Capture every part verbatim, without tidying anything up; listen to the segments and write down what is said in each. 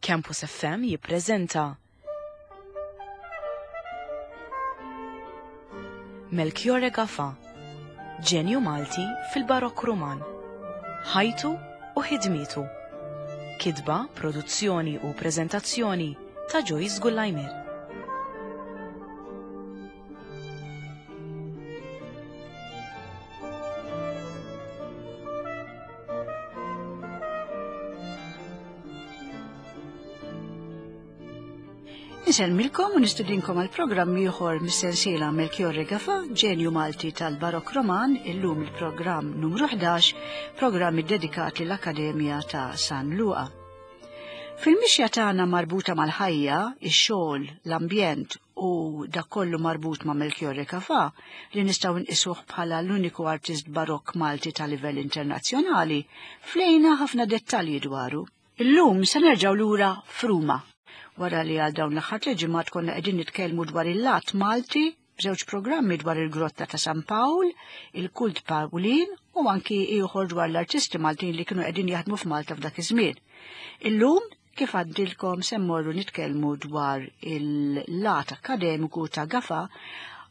Campus F M jippreżenta Melchiorre Gafà, ġenju Malti fil-Barokk Ruman, ħajtu u ħidmietu. Kitba, produzzjoni u preżentazzjoni ta' Joyce Gullajmir. Insellmilkom u nistudinkom għal programm ieħor mis-sensiela Melchiorre Gafà, ġenju Malti tal-Barokk Roman, illum il-programm numru ħdax, programm iddedikat lill-Akkademja ta' San Luqa. Fil-mixja tagħna marbuta mal-ħajja, ix-xogħol, l-ambjent u dak kollu marbut ma' Melchiorre Gafà, li nistgħu nqisuh bħala l-uniku artist barokk Malti ta' livell internazzjonali, flejna ħafna dettalji dwaru. Illum se nerġgħu lura f'Ruma. Wara li għal dawn l-aħħar tliet ġimgħat konna qegħdin nitkellmu dwar il-lat Malti b'żewġ programmi dwar il-Grotta ta' San Pawl, il-Kult Pawlin u anki ieħor dwar l-artisti Maltin li kienu qegħdin jaħdmu f'Malta f'dak iż-żmien. Illum kif għaddilkom se mmorru nitkellmu dwar il-lat akkademiku ta' Gafà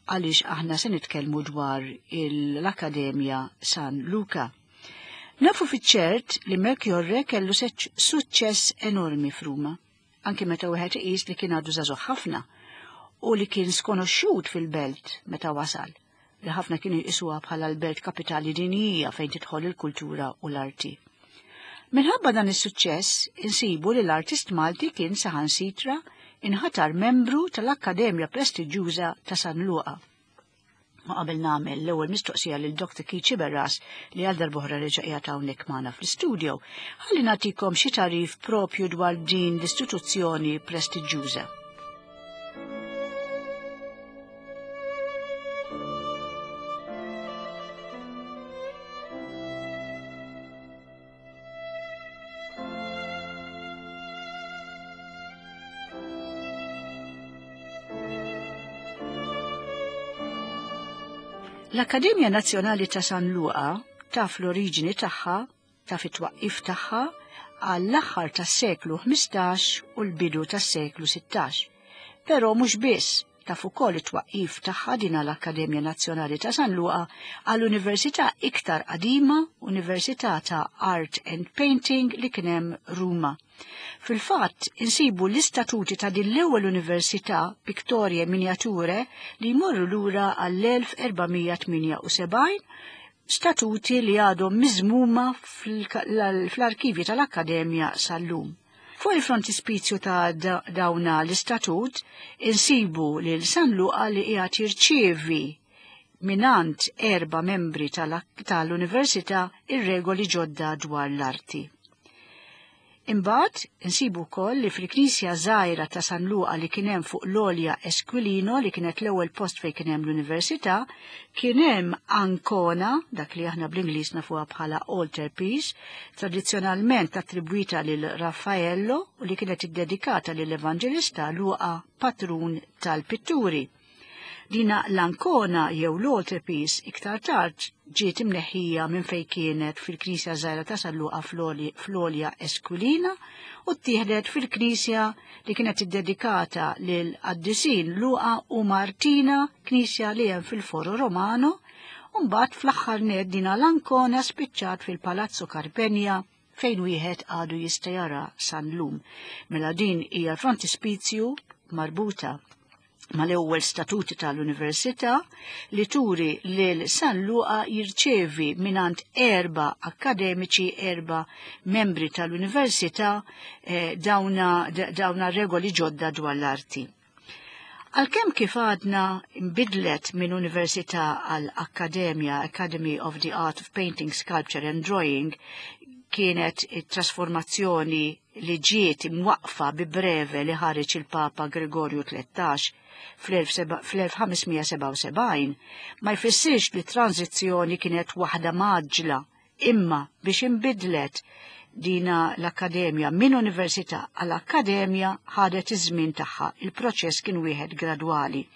għaliex aħna se nitkellmu dwar l-Akkademja San Luca. Nafu fiċ-ċert li Melchiorre kellu suċċess enormi f'Ruma, anki meta wieħed iqis li kien għadu żagħżugħ ħafna u li kien skonoxxut fil-belt meta wasal, li ħafna kienu jqisuha bħala l-belt kapitali dinjija fejn tidħol il-kultura u l-arti. Minħabba dan is-suċċess insibu li l-artist Malti kien saħansitra inħatar membru tal-Akkademja prestiġjuża ta' San Luqa. Ma qabel nagħmel l-ewwel mistoqsija lil Doctor Keith Sciberras li għal darb'oħra reġa' qiegħed hawnhekk magħna fl-istudio, ħalli nagħtikom xi tagħrif propju dwar din l-istituzzjoni prestiġjuża. L-Akkademja Nazzjonali ta' San Luqa taf l-oriġini tagħha, taf it-twaqqif tagħha għall-aħħar tas-seklu ħmistax u l-bidu tas-seklu sittax. Però mhux biss, taf ukoll it-twaqqif tagħha din l-Akkademja Nazzjonali ta' San Luqa għall-Università iktar qadima, Università ta' Art and Painting li kien hemm Ruma. Fil-fatt, insibu l-istatuti ta' din l-ewwel università, Pictorie Miniature, li jmorru lura għall-elf erba' tmienja u sebgħin, statuti li għadhom miżmuma fl-arkivji tal-Akkademja sal-lum. Fuq il-frontispizju ta' dawna l-istatut, insibu lil San Luqa li qiegħed jirċievi minant erba' membri tal-università ir-regoli ġodda dwar l-arti. Imbagħad insibu wkoll li fil-knisja żgħira ta' San Luqa li kien hemm fuq l-Olja Esquilino, li kienet l-ewwel post fejn kien hemm l-università, kien hemm ankona, dak li aħna bl-Ingliż nafuha bħala altarpiece, tradizzjonalment attribwita lil Raffaello u li kienet iddedikata lill-Evanġelista Luqa, patrun tal-pitturi. Dina l-ankona jew l-altarpiece iktar tard ġiet imneħħija minn fejn kienet fil-Knisja Żgħira ta' San Luqa fl-Olja Esquilina u ttieħdet fil-Knisja li kienet iddedikata lil qaddisin Luqa u Martina, knisja li hemm fil-Foro Romano, u mbagħad fl-aħħar nett dina l-ankona spiċċat fil-Palazzo Carpegna fejn wieħed għadu jista' jara San Lum. Mela din hija frontispizju marbuta mal-ewwel statuti tal-Università li turi lil San Luqa jirċevi minant erba' akkademiċi, erba' membri tal-Università, eh, dawna, dawna regoli ġodda dwar l-arti. Għalkemm kif għadna imbidlet minn Università għal Akkademja, Academy of the Art of Painting, Sculpture and Drawing, kienet it-trasformazzjoni li ġiet imwaqfa bi breve li ħareġ il-Papa Gregorju tlettax fl-elf ħamesmija sebgħa u sebgħin, ma jfissirx li tranzizzjoni kienet waħda maġla, imma biex imbidlet dina l-Akkademja minn Università għal Akkademja ħadet iż-żmien tagħha, il-proċess kien wieħed gradwali.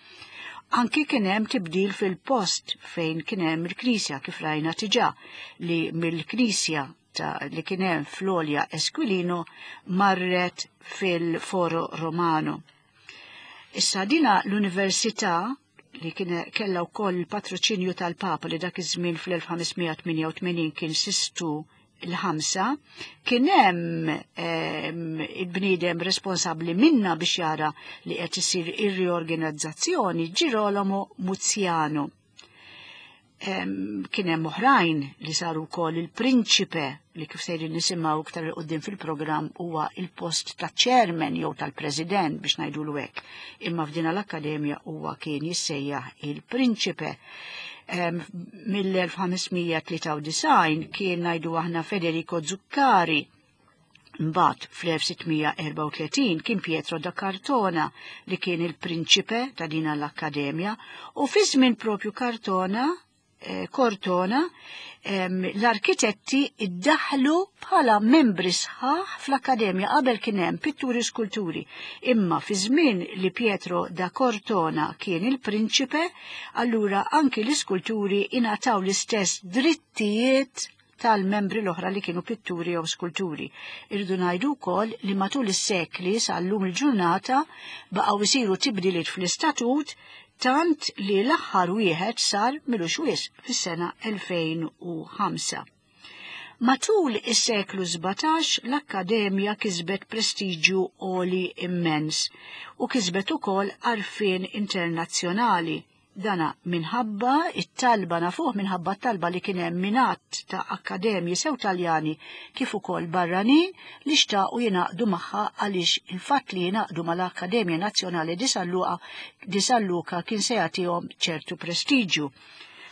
Anki kien hemm tibdil fil-post fejn kien hemm il-Knisja kif rajna diġà li mill-Knisja ta' li kien hemm fl-Olja Esquilino marret fil-Foro Romano. Issa dina l-Università li kien kellha wkoll il-patroċinju tal-Papa li dak iż-żmien fl-elf ħames mija tmienja u tmenin kien Sistu il-ħamsa, kien hemm il-bniedem responsabbli minna biex jara li qed isir ir-riorganizzazzjoni, Girolamo Muziano. Kien hemm oħrajn li saru wkoll il-prinċipe li kif sejrin nisimgħu iktar il quddiem fil-programm huwa il-post ta' chairman jew tal-president biex ngħidulu hekk. Imma f'din l-akkademja huwa kien jissejjaħ il-prinċipe. Mill-elf ħames mija tlieta u disgħin kien ngħidu aħna Federico Zuccari. Mbagħad fl-elf sitt mija erbgħa u tletin kien Pietro da Cortona li kien il-prinċipe ta' din l-akkademja, u fi żmien propju Cartona, eh, Cortona, em, l-arkitetti iddaħlu bħala membri sħaħ fl-akkademja. Qabel kien hemm pitturi skulturi, imma fi żmien li Pietro da Cortona kien il-prinċipe, allura anki l-iskulturi ingħataw l-istess drittijiet tal-membri l-oħra li kienu pitturi jew skulturi. Irridu ngħidu wkoll li matul is-sekli sal-lum il-ġurnata baqgħu jsiru tibdiliet fl-istatut, tant li l-aħħar wieħed sar milux wisq fis-sena elfejn u ħamsa. Matul is-seklu sbatax l-Akkademja kisbet prestiġju għoli immens u kisbet ukoll għarfien internazzjonali. Dana minħabba it-talba nafuh minħabba t-talba li kien hemm minn għadd ta' akkademji sew Taljani kif ukoll barranin li xtaqu jingħaqdu magħha, għaliex il-fatt li jingħaqdu mal-Akkademja Nazzjonali di San Luca, di San Luca kien se jagħtihom ċertu prestiġju.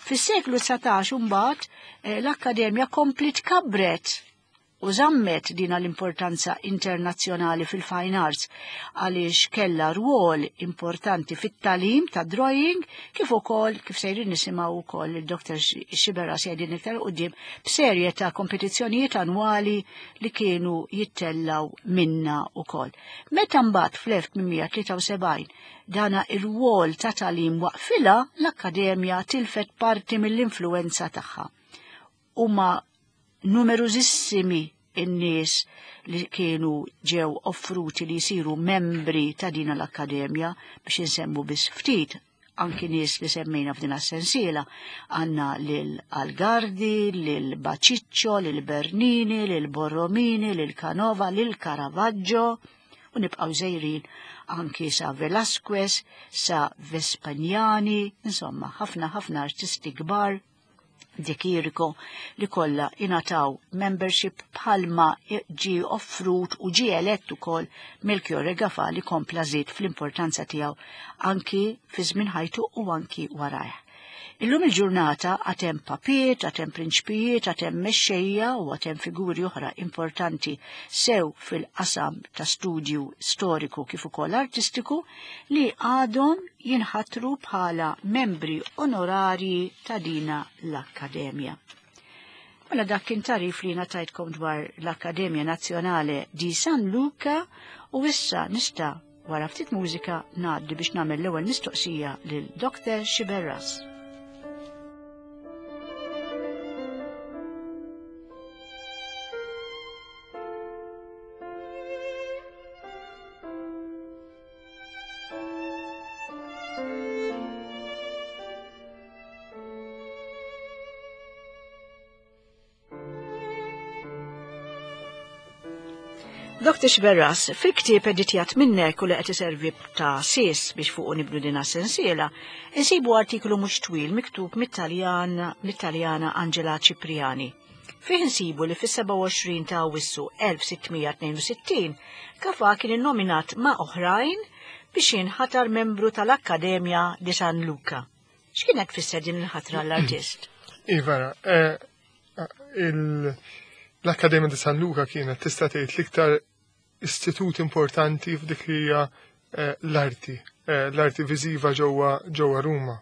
Fis-seklu dsatax imbagħad, eh, l-Akkademja komplet kabret u żammet dina l-importanza internazzjonali fil-fine arts għaliex kellha rwol importanti fit-talim ta' drawing kif ukoll kif sejrin nisimgħu wkoll il-Doktor Sciberras jgħidin iktar quddiem b'serje ta' kompetizzjonijiet annwali li kienu jittellaw minna wkoll. Meta mbagħad fl-elf tmien mija tlieta u sebgħin dana ir-rwol ta' talim waqfilha, l-Akkademja tilfet parti mill-influenza tagħha. Huma numerużissimi in-nies li kienu ġew offruti li jsiru membri ta' din l-Akkademja, biex insemmu biss ftit, anki nies li semmejna f'din as-sensiela, għandna lil Algardi, lil Baciccio, lil Bernini, lil Borromini, lil Canova, lil Caravaggio, u nibqgħu żejrin anki sa Velasquez, sa Vespaniani, insomma ħafna ħafna artisti kbar, De Chirico, li kollha ingħataw membership bħalma ġie offrut u ġie elett ukoll Melchiorre Gafà li kompla żied fl-importanza tiegħu anki fi żmien ħajtu u anki warajh. Illum il-ġurnata għad hemm papiet, għad hemm prinċpijiet, għad hemm mexxejja u għad hemm figuri oħra importanti sew fil-qasam ta' studju storiku kif ukoll artistiku li għadhom jinħatru bħala membri onorarji ta' dina l-Akkademja. Mela dak kien tarif li ngħatajtkom dwar l-Akkademja Nazzjonale di San Luca, u issa nista' wara ftit mużika ngħaddi biex nagħmel l-ewwel mistoqsija lil Doktor Sciberras. Doktor Sciberras, fil-ktieb editjat minnek u li qed iservi ta' sis biex fuqu nibnu din as-sensiela, insibu artiklu mhux twil miktub mit-Taljan, mit-Taljana Angela Cipriani. Fih insibu li fis-sebgħa u għoxrin ta' Awwissu elf sitt mija tnejn u sittin Gafà kien innominat ma' oħrajn biex jinħatar membru tal-Akkademja di San Luca. X'kienet tfisser din il-ħatra l-artist? Iva, eh, il-, l-Akkademja di San Luca kienet tista' tgħid l-iktar istitut importanti f'dik li hija, eh, l-arti, eh, l-arti viżiva ġewwa, ġewwa Ruma.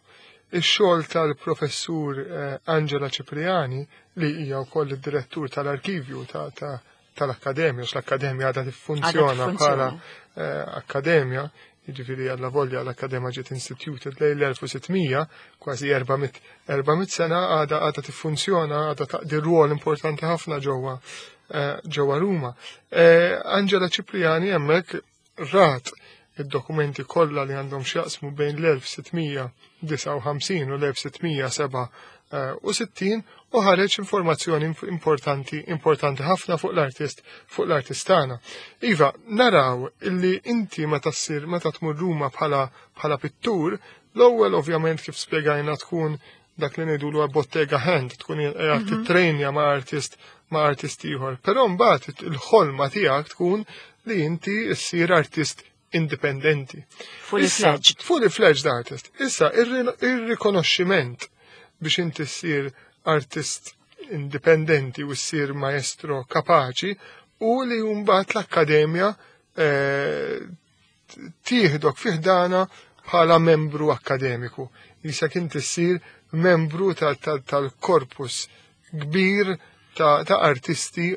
Ix-xogħol tal-professur, eh, Angela Cipriani, li hija wkoll id-direttur tal-arkivju ta', ta', tal-Akkademja, għax l-Akkademja għadha tiffunzjona Għadha bħala, tiffunzjona. eh, akkademja, Jiġifieri għalla volja l-Akkademja ġiet instituted lejn l-elf u sitt mija, kważi erba' mitt sena għada għada tiffunzjona, għada taqdi rwol importanti ħafna ġewwa eh, ġewwa Ruma. Eh, Angela Cipriani hemmhekk rat id-dokumenti kollha li għandhom x'jaqsmu bejn l-elf sitt mija disgħa u ħamsin u l-elf sitt mija sebgħa u sittin u ħareġ informazzjoni importanti importanti ħafna fuq l-artist fuq l-artist tagħna. Iva, naraw illi inti meta ssir meta tmur Ruma bħala bħala pittur, l-ewwel ovvjament, kif spjegajna, tkun dak li ngħidulu bottega hand, tkun qiegħed mhm. titrejnja ma' artist ma' artist ieħor. Però mbagħad il-ħolma tiegħek tkun li inti ssir artist indipendenti. Fully fledged. Fully fledged artist. Issa, ir-rikonoxximent biex inti ssir artist indipendenti u ssir maestro kapaċi u li mbagħad l-akkademja eh, tieħdok fi ħdanha bħala membru akkademiku. Issa inti ssir membru tal-korpus kbir ta' artisti,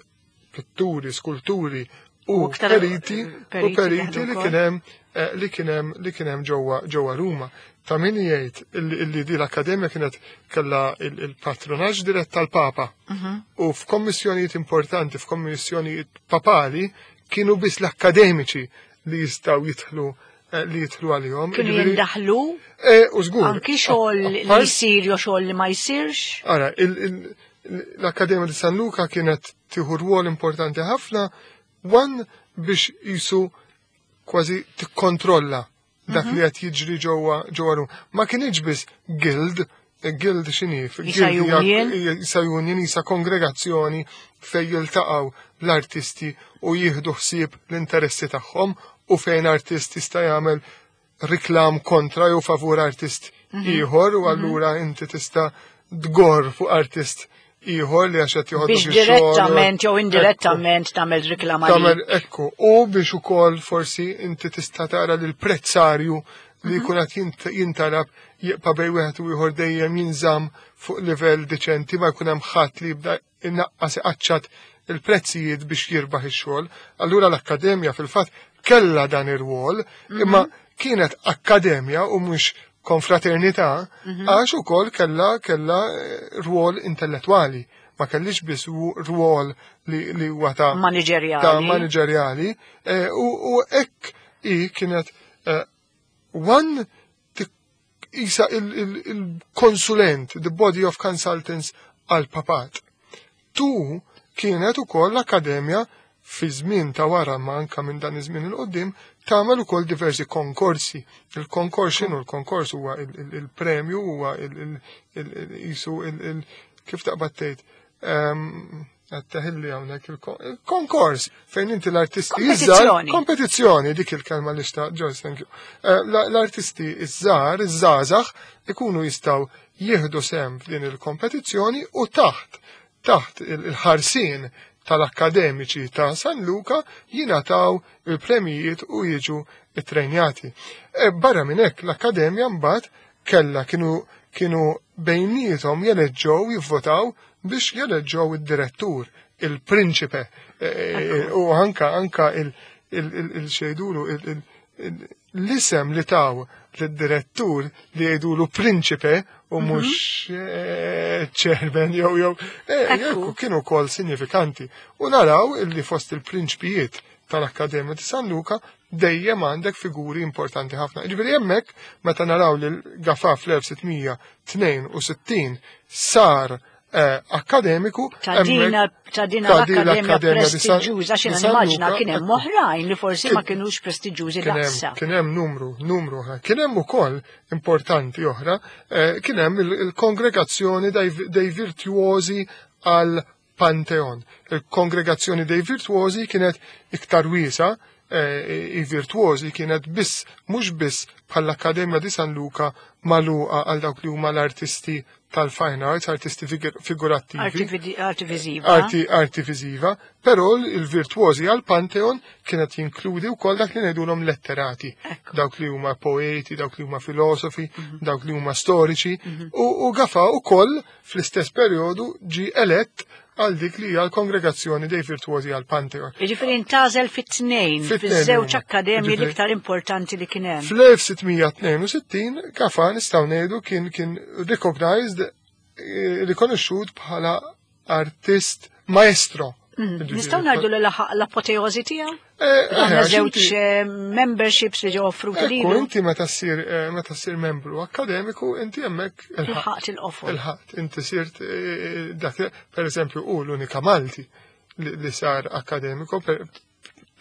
pitturi, skulturi u periti u periti li kien hemm eh, li kien hemm li kien hemm ġewwa ġewwa Ruma. Ta' min jgħid illi di l-akkademja kienet kellha il-patronaġġ dirett tal-Papa. Mhm. U f'kommissjonijiet importanti, f'kommissjonijiet papali, kienu biss l-akkademiċi li jistgħu jidħlu eh, li jidħlu għalihom. Kienu jindaħlu? Eh, u żgur. Anki xogħol li jsir jew xogħol li ma jsirx? Ara, l-Akkademja di San Luca kienet tieħu rwol importanti ħafna one biex jisu kważi tikkontrolla dak li qed jiġri ġewwa ġewwa Ruma. Ma kienx biss guild, guild x'inhi? Isa union, isa kongregazzjoni fejn jiltaqgħu l-artisti u jieħdu ħsieb l-interessi tagħhom u fejn artist jista' jagħmel riklam kontra jew favur artist mhm. ieħor u allura inti tista' dgor fuq artist ieħor li għax qed joħodok. Biex direttament jew indirettament tagħmel reklam. Tagħmel ekku u biex ukoll forsi inti tista' tara li l-prezzarju li jkun qed jintalab jibqa' bejn wieħed u ieħor dejjem jinżamm fuq livell deċenti, ma jkun hemm ħadd li jibda innaqqas, iqaċċat il-prezzijiet biex jirbaħ ix-xogħol. Allura l-akkademja fil-fatt kella dan ir-rwol, imma kienet akkademja u mhux konfraternità, għax ukoll kella kella eh, rwol intellettwali. Ma kellix biss rwol li, li huwa ta' Manageriali. Ta' manageriali eh, u, u hekk i kienet eh, one isa il-konsulent, the body of consultants għal papat. Tu kienet ukoll l-akkademja fi żmien ta' wara, ma anka minn dan iż-żmien il qoddim, tagħmel ukoll diversi konkorsi. Il-konkors x'inhu? Il-konkors huwa il-premju, huwa jisu kif taqbad tgħid, għattaħilli hawnhekk, il-konkors fejn inti l-artisti iż-żgħar. Kompetizzjoni, dik il-kelma li xtaqt, Joyce, thank you. Eh, l-artisti iż-żgħar, iż-żgħażagħ ikunu jistgħu jieħdu sehem f'din il-kompetizzjoni u taħt taħt il-ħarsien tal-akkademiċi ta' San Luca jingħataw il-premijiet u jiġu it-trejnjati. E barra minn hekk, l-akkademja mbagħad kella kienu kienu bejniethom jeleġġew, jivvotaw biex jeleġġew id-direttur, il-prinċipe, e, e, u anka anka il-xejdulu l-isem li taw l-direttur li jgħidulu prinċipe u mhm. mhux eh, chairman jew jew eh, kienu kol sinifikanti. U naraw illi fost il-prinċpijiet tal-Akkademja di San Luca dejjem għandek figuri importanti ħafna. Ġifieri hemmhekk meta naraw li Gafà fl-elf sitt mija tnejn u sittin sar eh, akkademiku. Ta' dina ta' dina l-akkademja prestiġjuża, xi nimmaġina kien hemm oħrajn li forsi ma kinux prestiġjużi daqsa. Kien hemm numru, numru oħra. Kien hemm ukoll importanti oħra, eh, kien hemm il-kongregazzjoni dei virtuosi al Pantheon. Il-kongregazzjoni dei virtuosi kienet iktar wiesa, eh, i virtuosi kienet biss, mhux biss bħall-Akkademja di San Luca magħluqa għal dawk li huma l-artisti tal-fine arts, artisti figurattivi. Arti viżiva. Arti, arti viżiva, però il-virtuosi għal Pantheon kienet jinkludi wkoll dak li ngħidulhom letterati. Dawk li huma poeti, dawk li huma filosofi, mhm. dawk li huma storiċi, mhm. u, u Gafà wkoll fl-istess perjodu ġi elett għal dik li hija l-Kongregazzjoni dei Virtuosi għal Pantheon. Jiġifieri intgħażel fit-tnejn, fiż-żewġ akkademji l-iktar importanti li kien hemm. Fl-elf sitt mija tnejn u sittin Gafà nistgħu ngħidu kien, kien recognized, eh, rikonoxxut bħala artist maestro. Mm. Jiġifieri Nistgħu ngħidu li laħaq l-apoteożi tiegħu? Eh, Għandna eh, żewġ, inti eh, memberships li ġew offruti Ekku, lilu. inti meta ssir, eh, meta ssir membru akkademiku, inti hemmhekk ilħaqt. Ilħaqt il-qofol. Ilħaqt, inti sirt, eh, dak, per eżempju, hu l-unika Malti li, li sar akkademiku, per,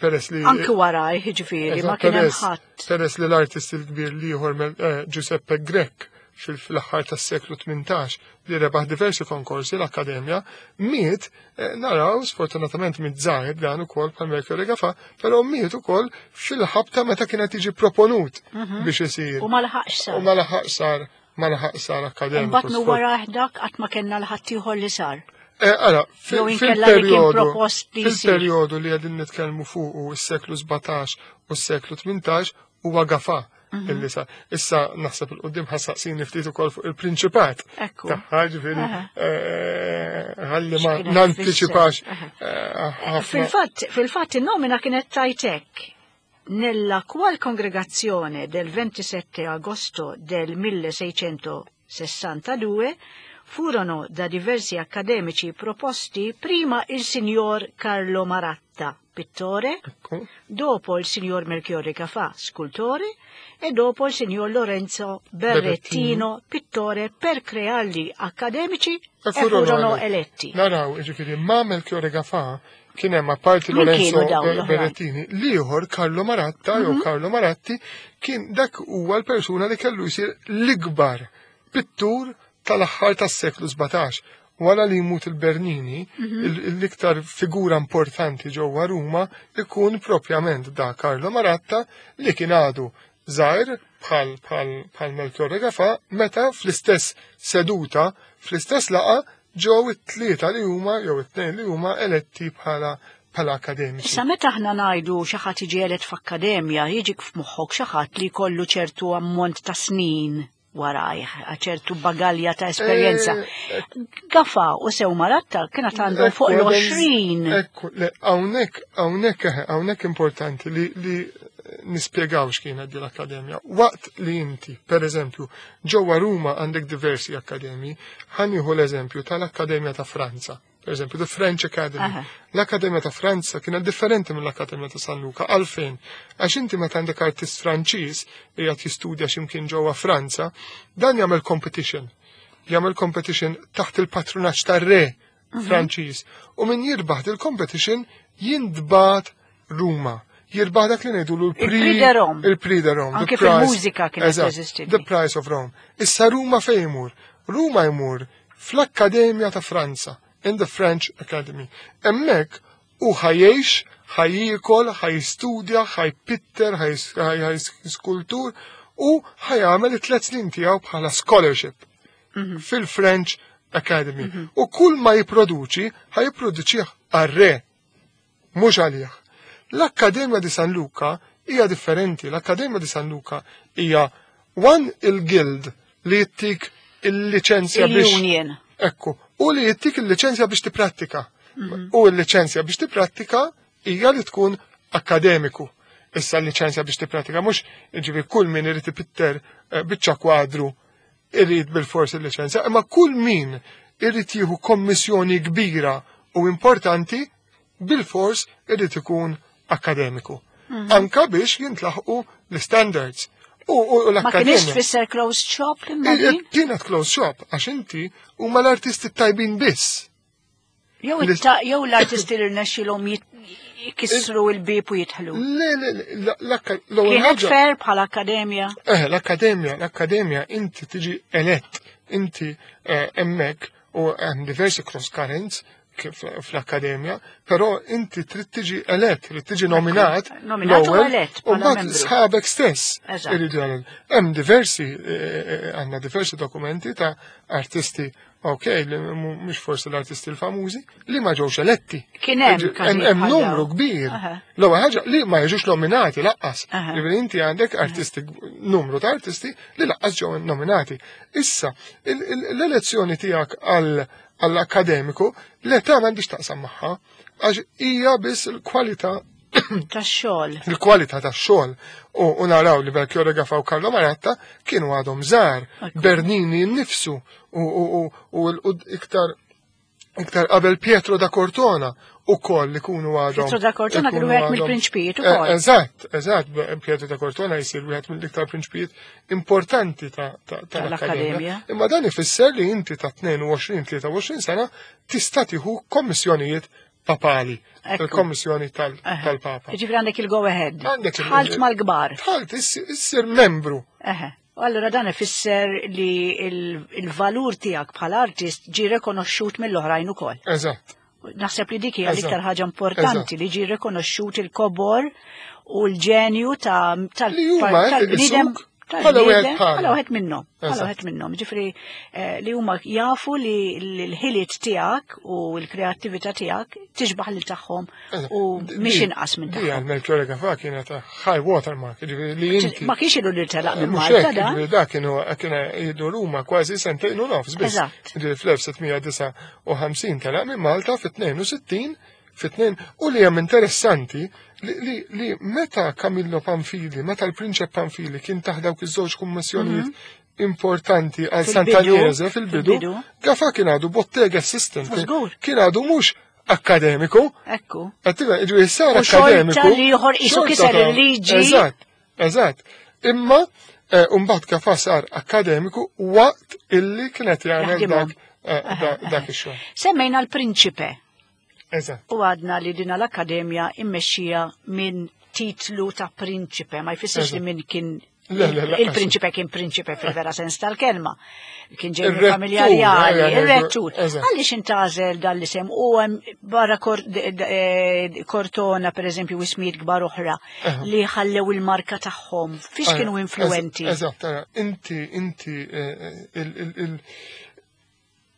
peress li Anki wara, jiġifieri, ma Eżatt, kien hemm peress ħadd. Peress li l-artist il-kbir l-ieħor Mel-, eh, Giuseppe Grech fil-, fl-aħħar tas-seklu tmintax li rebaħ diversi konkorsi l-Akkademja, miet, eh, naraw sfortunatament miet żgħir dan ukoll bħal Melchiorre Gafà, però miet ukoll fil-ħabta meta kienet jiġi proponut Mhm. biex isir. U ma laħaqx sar. U ma laħaqx sar, ma laħaqx sar akkademiku. Mbagħad minn wara dak qatt ma kellna l-ħadd ieħor li sar. Eh, ara, fil- Jew inkella li kien fil-perjodu propost li jsir. fil-perjodu li qegħdin nitkellmu fuq is-seklu sbatax u s-seklu tmintax huwa Gafà Mhm. illi sa. Issa naħseb il-qudiem ħassaqsini ftit ukoll fuq il-prinċipat. Ekku. Tagħha, ġifieri, Aha. eh, ħalli ma X'kienet nanticipax, tfisser? Aha. eh, ħafna. Fil-fatt, fil-fatt in-nomina kienet tajtek. Nella qual congregazione del ventisette agosto del milleseicentosessantadue furono da diversi accademici proposti prima il signor Carlo Maratta, pittore, Ecco. dopo il signor Melchiorre Gafà, scultore, e dopo il signor Lorenzo Berrettino, Berrettino, pittore, per crearli accademici E e furono furono eletti. eletti. Naraw, ġifieri, ma Melchiorre Gafà kien hemm apparti Min Lorenzo kienu dawn Be- l-oħrajn? Berrettini, l-ieħor Carlo Maratta jew Mhm. Carlo Maratti kien dak huwa l-persuna li kellu jsir l-ikbar pittur tal-aħħar tas-seklu sbatax. Wara li jmut il-Bernini, Mhm. il-, l-iktar figura importanti ġewwa Ruma ikun propjament da Carlo Maratta li kien għadu żgħir bħal, bħal, bħal Melchiorre Gafà meta fl-istess seduta, fl-istess laqa ġew it-tlieta li huma jew it-tnejn li huma eletti bħala, bħala akademiċi. Issa meta aħna ngħidu xi ħadd jiġi elett f'akkademja, jiġik f'moħħok xi ħadd li jkollu ċertu ammont ta' snin warajh, ċertu bagalja ta' esperjenza. Eh, Gafà u sew Maratta kienet għandhom fuq Ekku, l-għoxrin. Ekku, le, hawnhekk, hawnhekk, eħe, hawnhekk importanti li, li nispjegaw x'kienet din l-akkademja. Waqt li inti, per eżempju, ġewwa Ruma għandek diversi akkademji, ħa nieħu l-eżempju tal-Akkademja ta' Franza. Per eżempju, the French Academy. Aha. L-Akkademja ta' Franza kienet differenti mill-Akkademja ta' San Luca. Għalfejn? Għax inti meta għandek artist Franċiż li qed jistudja x'imkien ġewwa Franza, dan jagħmel competition. Jagħmel competition taħt il-patrunaġġ tar-re Mhm. Franċiż. U min jirbaħ il-competition jintbagħat Ruma. Jirbaħ dak li ngħidulu l-Prix Il-Prix de Rome. Il-Prix de Rome. the Anke price- fil-mużika kienet Eżatt, teżisti. The Price of Rome. Issa Ruma fejn imur? Ruma jmur fl-Akkademja ta' Franza, in the French Academy. Hemmhekk u ħa jgħix, ħa jiekol, ħa jistudja, ħa jpitter, ħa jskultur u ħa jagħmel it-tliet snin tiegħu bħala scholarship Mhm. fil-French Academy. U kull ma jipproduċi, ħa jipproduċih għar-re, mhux għalih. L-Akkademja di San Luca hija differenti. L-Akkademja di San Luca hija one il-guild li jittik il-liċenzja biex Il-union. Ekku, u li jittik il-liċenzja biex tipprattika. Mhm. U l-liċenzja biex tipprattika hija li tkun akademiku. Issa l-liċenzja biex tipprattika mhux ġifieri kull min irid ipitter, eh, biċċa kwadru irid bil-fors il-liċenzja, imma kull min irid jieħu kommissjoni kbira u importanti bil-fors irid ikun akademiku. Mhm. Anka biex jintlaħqu l-standards. U, u, u Ma kienx l-akkademja. tfisser closed shop imma Eh, din? Kienet closed shop, għax inti huma l-artisti tajbin biss. Jew L- it-ta-, jew l-artisti li rnexxilhom jit-, jkissru l-bieb u jidħlu. Le, le, le, la-, l-akka-, l-ewwel Kienet ħaġa- fair bħala akkademja? Eh, l-akkademja, l-akkademja inti tiġi elett, inti, eh, hemmhekk u hemm diversi cross currents kif fl-akkademja, però inti trid tiġi elett, trid tiġi nominat Nominat u l-ewwel, elett u bħala mbagħad membru. sħabek stess Eżatt. iridu jagħmlu. Hemm diversi, eh, eh, għandna diversi dokumenti ta' artisti, ok, li mu-, mhux forsi l-artisti l-famużi, li ma ġewx eletti. Kien hemm Ġi-, każijiet hemm, hemm bħal numru dawn. kbir. Aha. L-ewwel ħaġa li ma jiġux nominati laqqas. Aha. Ġifieri inti għandek artisti, numru ta' artisti li laqqas ġew nominati. Issa, il-, il-, l-elezzjoni tiegħek għal, għall-akademiku, l-età m'għandix taqsam magħha, għax hija biss il-kwalità tax-xogħol. Il-kwalità tax-xogħol. U naraw li Melchiorre Gafà u Carlo Maratta kienu għadhom żgħar, Bernini nnifsu u iktar iktar qabel Pietro da Cortona u koll li kunu għadhom. Pietro da Cortona kienu wieħed mill-prinċpijiet ukoll. Eżatt, eżatt, Pietro da Cortona jsir wieħed mill-iktar prinċpijiet importanti tal-Akkademja. Imma dan ifisser li inti ta' tnejn u għoxrin tlieta u għoxrin sena tista' tieħu kommissjonijiet papali, il-kommissjoni tal-Papa. Jiġifieri għandek il-go ahead. Tħalt mal-kbar. Tħalt, issir membru. Eħe. U allura dan ifisser li il-valur tiegħek bħala artist ġie rekonoxxut mill-oħrajn ukoll. Eżatt. Naħseb li dik hija l-iktar ħaġa importanti, li ġie rekonoxxut il-kobor u l-ġenju tal-bniedem bħala wieħed bħala wieħed minnhom, bħala wieħed minnhom. Ġifieri li huma jafu li l-ħiliet tiegħek u l-kreattività tiegħek tixbaħ lil tagħhom u mhix inqas minn tagħhom. Di Melchiorre Gafà kienet high watermark, ġifieri li inti. Ma kienx ilu li telaq minn Malta da. Da kienu kien ilu Ruma kważi sentejn u nofs biss. Ġifieri fl-elf sitt mija disgħa u ħamsin telaq minn Malta fit-tnejn u sittin, fit-tnejn, u li hemm interessanti li, li, li meta Camillo Pamphili, meta l-Prinċep Pamphili kien taħt dawk iż-żewġ kummissjonijiet mhm. importanti għal Sant'Agnese fil-bidu, Gafà kien għadu bottega assistant. Kien għadu mhux akademiku. Ekku. Ġifieri sar akademiku. Li ieħor qisu kiser il-liġi. Eżatt, eżatt. Imma mbagħad Gafà sar akademiku waqt illi kienet jagħmel dak dak ix-xogħol. Semmejna l-Prinċipe. Eżatt. U għadna li dina l-Akkademja immexxija minn titlu ta' prinċipe, ma jfissirx li minn kien il-prinċipe kien prinċipe fil-vera sens tal-kelma. Kien ġej minn familja rjali, il-rettur. Għaliex intgħażel dan l-isem u hemm barra Cortona, per eżempju, ismijiet kbar oħra li ħallew il-marka tagħhom. Fiex kienu influenti? Eżatt, inti, inti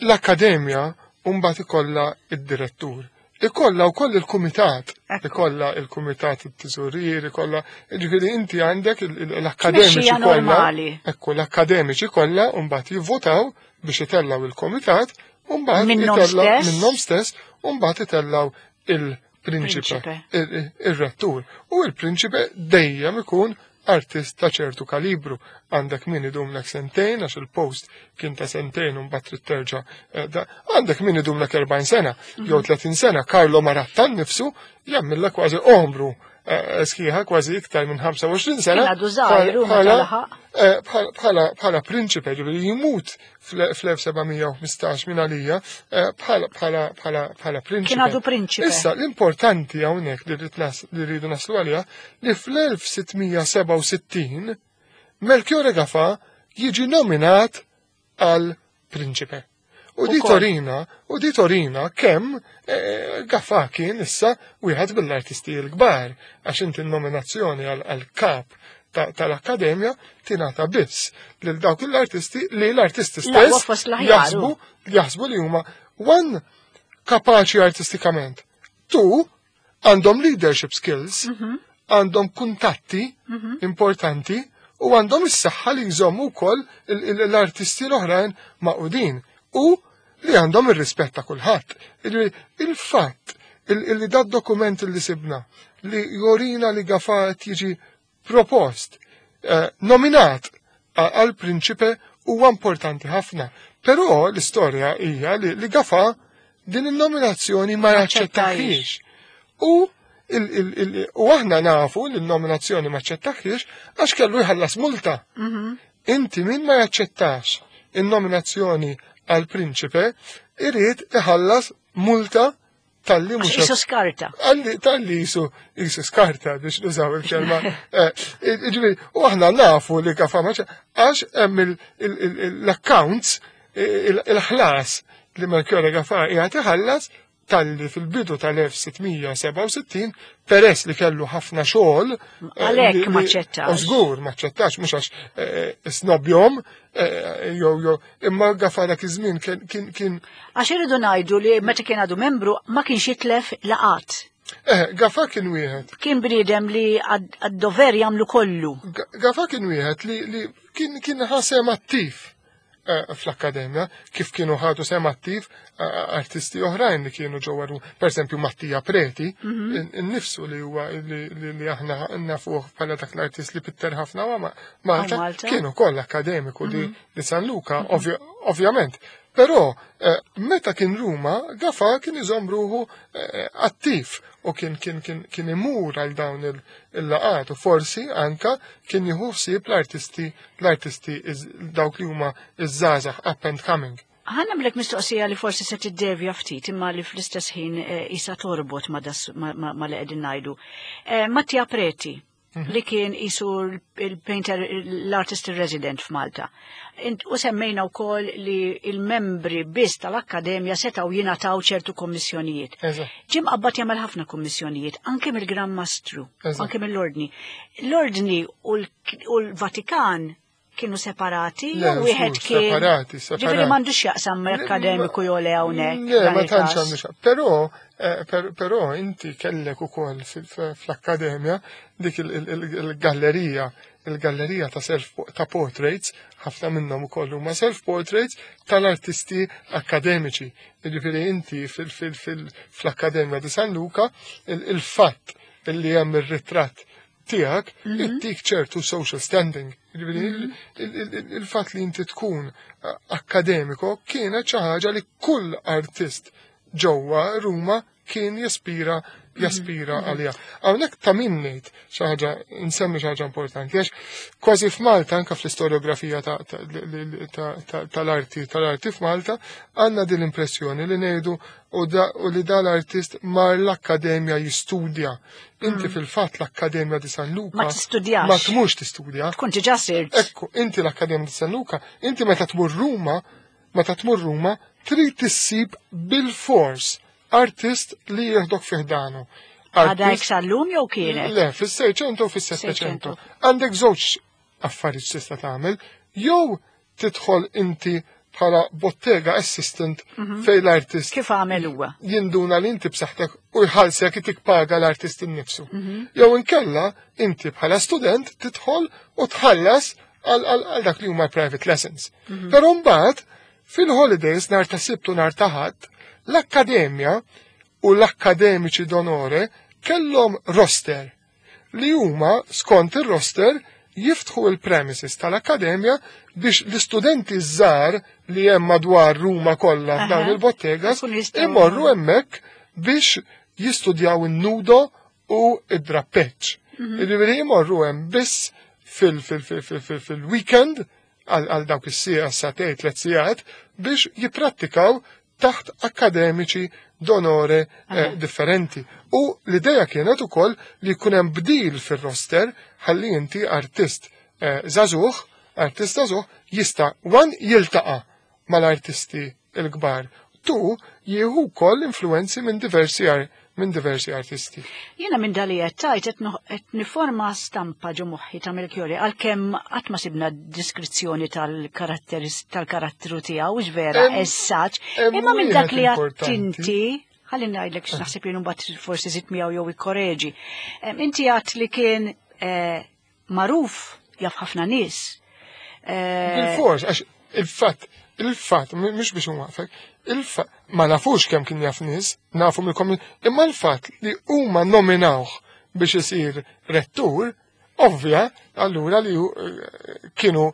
l-Akkademja mbagħad ikollha id-direttur. Ikolla u koll il-kumitat, ikolla il-kumitat it-tiżorier, ikolla, ġifieri inti għandek l-akademiċi kollha, ekku l-akademiċi kollha mbagħad jivvotaw biex itellaw il-kumitat, u mbagħad itellaw minnhom stess, u mbagħad itellaw il-prinċipe, il-rettur. U il-prinċipe dejjem ikun artist ta' ċertu kalibru. Għandek min idumlek sentejn, għax il-post kien ta' sentejn u mbagħad trid terġa'. Għandek min idumlek erbgħin sena, jew tletin sena. Carlo Maratta nnifsu jagħmilha kważi omru sħiħa, kważi iktar minn ħamsa u għoxrin sena. Bħala prinċipe, ġifieri jimut fl-elf seba' mija u ħmistax minn għalija bħala prinċipe. Kien għadu prinċipe. Issa, l-importanti hawnhekk li rridu naslu għalija li fl-elf sitt mija seba' u sittin Melchiorre Gafà jiġi nominat għal prinċipe. U di torina, u di torina kemm Gafà kien issa wieħed mill-artisti l-kbar, għax inti n-nominazzjoni għal kap tal-Akkademja tingħata biss lil dawk l-artisti li l-artisti stess jaħsbu jaħsbu li huma one kapaċi artistikament, two għandhom leadership skills, għandhom kuntatti importanti u għandhom is-saħħa li jżommu wkoll l-artisti l-oħrajn maqudin u li għandhom ir-rispett ta' kulħadd. Il-fatt li dat dokument li sibna li jorina li Gafà qed jiġi propost, nominat għal prinċipe huwa importanti ħafna. Però l-istorja hija li Gafà din in-nominazzjoni ma jaċċettahiex. U u aħna nafu li n-nominazzjoni ma aċċettahiex għax kellu jħallas multa. Inti min ma jaċċettax in-nominazzjoni għal prinċipe irid iħallas multa tal-li mhux Isu skarta. Għalli tal-li jisu jisu skarta biex nużaw il-kelma. Ġifieri, u aħna nafu li Gafà ma għax hemm l-accounts, il-ħlas li Melchiorre Gafà qiegħed iħallas tal-li fil-bidu tal-elf sitt mija seba' u sittin, peress li kellu ħafna xogħol, Għalhekk ma ċettax. U żgur ma ċettax, mhux għax snobjom, jew jew imma Gafà dak iż-żmien kien kien kien Għax irridu ngħidu li meta kien għadu membru ma kienx jitlef laqat. Eh, Gafà kien wieħed. Kien bniedem li għad-dover jagħmlu kollu. Gafà kien wieħed li, li kien, kien ħasem attiv. eh, fl-akkademja, kif kienu ħadu sehem attiv eh, artisti oħrajn li kienu ġewwa Ruma. Per esempio Mattia Preti, Mhm. innifsu li huwa li, li, li aħna nafuh bħala dak l-artist li pitter ħafna ma Malta, Malta. kien ukoll akkademiku di, di San Luca, ovvja- ovvjament. Però eh, meta kien Ruma, Gafa kien iżomm ruħu eh, attiv u kien kien kien kien imur għal dawn il- il-laqat u forsi anka kien jieħu ħsieb l-artisti l-artisti iż- dawk li huma iż-żgħażagħ up and coming. Ħa nagħmlek mistoqsija li forsi se tiddevja ftit imma li fl-istess ħin eh, isa torbot ma, das, ma, ma, ma li qegħdin ngħidu. Eh, Mattia Preti, li kien isu il-painter, l-artist resident f'Malta. Int- U semmejna wkoll li il-membri biss tal-Akkademja setgħu jingħataw ċertu kommissjonijiet. Eżatt. Ġie mqabbad jagħmel ħafna kommissjonijiet, anke mill-Gran Mastru, Eżatt. anke mill-Ordni. L-Ordni u l- u l-Vatikan kienu separati, Le, jew wieħed żgur, kien. separati, separati. Ġifieri m'għandux x'jaqsam ma' akkademiku jew le hawnhekk. Le, dan ma tantx il-każ. għandu xa. Però, eh, per- però inti kellek ukoll fil- fl-akkademja dik il- il- il- il-gallerija, il-gallerija ta' self ta' portraits, ħafna minnhom ukoll huma self portraits tal-artisti akademiċi. Jiġifieri inti fil- fil- fil- fl-Akkademja di San Luca il- il-fatt li hemm ir-ritratt tiegħek ittik ċertu social standing. Jiġifieri il- il- il- il-fatt li inti tkun eh, akkademiko kienet xi ħaġa li kull artist ġewwa Ruma kien jaspira jaspira għalija. Hawnhekk ta' min ngħid xi ħaġa nsemmi xi ħaġa importanti għax kważi f'Malta anke fl-istoriografija ta- ta- li- li- ta- ta- tal-arti tal-arti f'Malta għandna din l-impressjoni li ngħidu u da- u li dal-artist mar l-akkademja jistudja. Inti fil-fatt l-Akkademja di San Luca Ma tistudjax. Ma tmurx tistudja. Tkun diġà sirt. Ekku, inti l-Akkademja di San Luca, inti meta tmur Ruma, meta tmur Ruma, trid tissib bil-fors artist li jieħdok fi ħdanu. Għadha Artist- sal-lum jew kienet? Le, fis-Seicento u fis-Settecento. Għandek żewġ affarijiet tista' tagħmel, jew tidħol inti bħala bottega assistant fejn l-artist Kif għamel huwa? jinduna li inti b'saħħtek u jħallsek itik paga l-artist innifsu. Jew inkella inti bħala student tidħol u tħallas għal għal- għal dak li huma private lessons. Però mbagħad fil-holidays nhar ta' Sibt u nhar ta' Ħadd, l-akkademja u l-akkademiċi d'onore kellhom roster li huma skont ir-roster jiftħu il-premises tal-akkademja biex l-istudenti żgħar li hemm madwar Ruma kollha f'dawn Aha. il-bottegas Ikun jistgħu- imorru hemmhekk biex jistudjaw in-nudo u id-drappeġġ. Jiġifieri jmorru hemm biss fil- fil- fil- fil- fil- fil-weekend għal għal dawk is-siegħa sagħtejn tliet sigħat biex jipprattikaw taħt akkademiċi d'onore eh, differenti. U l-ideja kienet ukoll li jkun hemm bdil fir-roster ħalli inti artist eh, żagħżugħ, artist żagħżugħ jista' one jiltaqa' mal-artisti l-kbar. Tu jieħu wkoll influenzi minn diversi ar minn diversi artisti. Jiena minn dali qed tajt qed no- qed niforma stampa ġo moħħi ta' Melchiorre għalkemm qatt ma sibna diskrizzjoni tal-karatteris tal-karattru tiegħu hux vera Hemm- essaġġ, hemm imma minn dak wieħed li għedt importanti. inti ħalli ngħidlek x'naħseb jien mbagħad forsi żid miegħu jew ikkoreġi. Em, Inti għedt li kien eh, magħruf jaf ħafna nies. Eh, Bil-fors, għax il-fatt, il-fatt, m- mhux biex nwaqfek, il-fatt, ma nafux kemm kien jaf nies, nafu mill imma l-fatt li huma nominawh biex isir rettur, ovvja, allura li hu- eh, kienu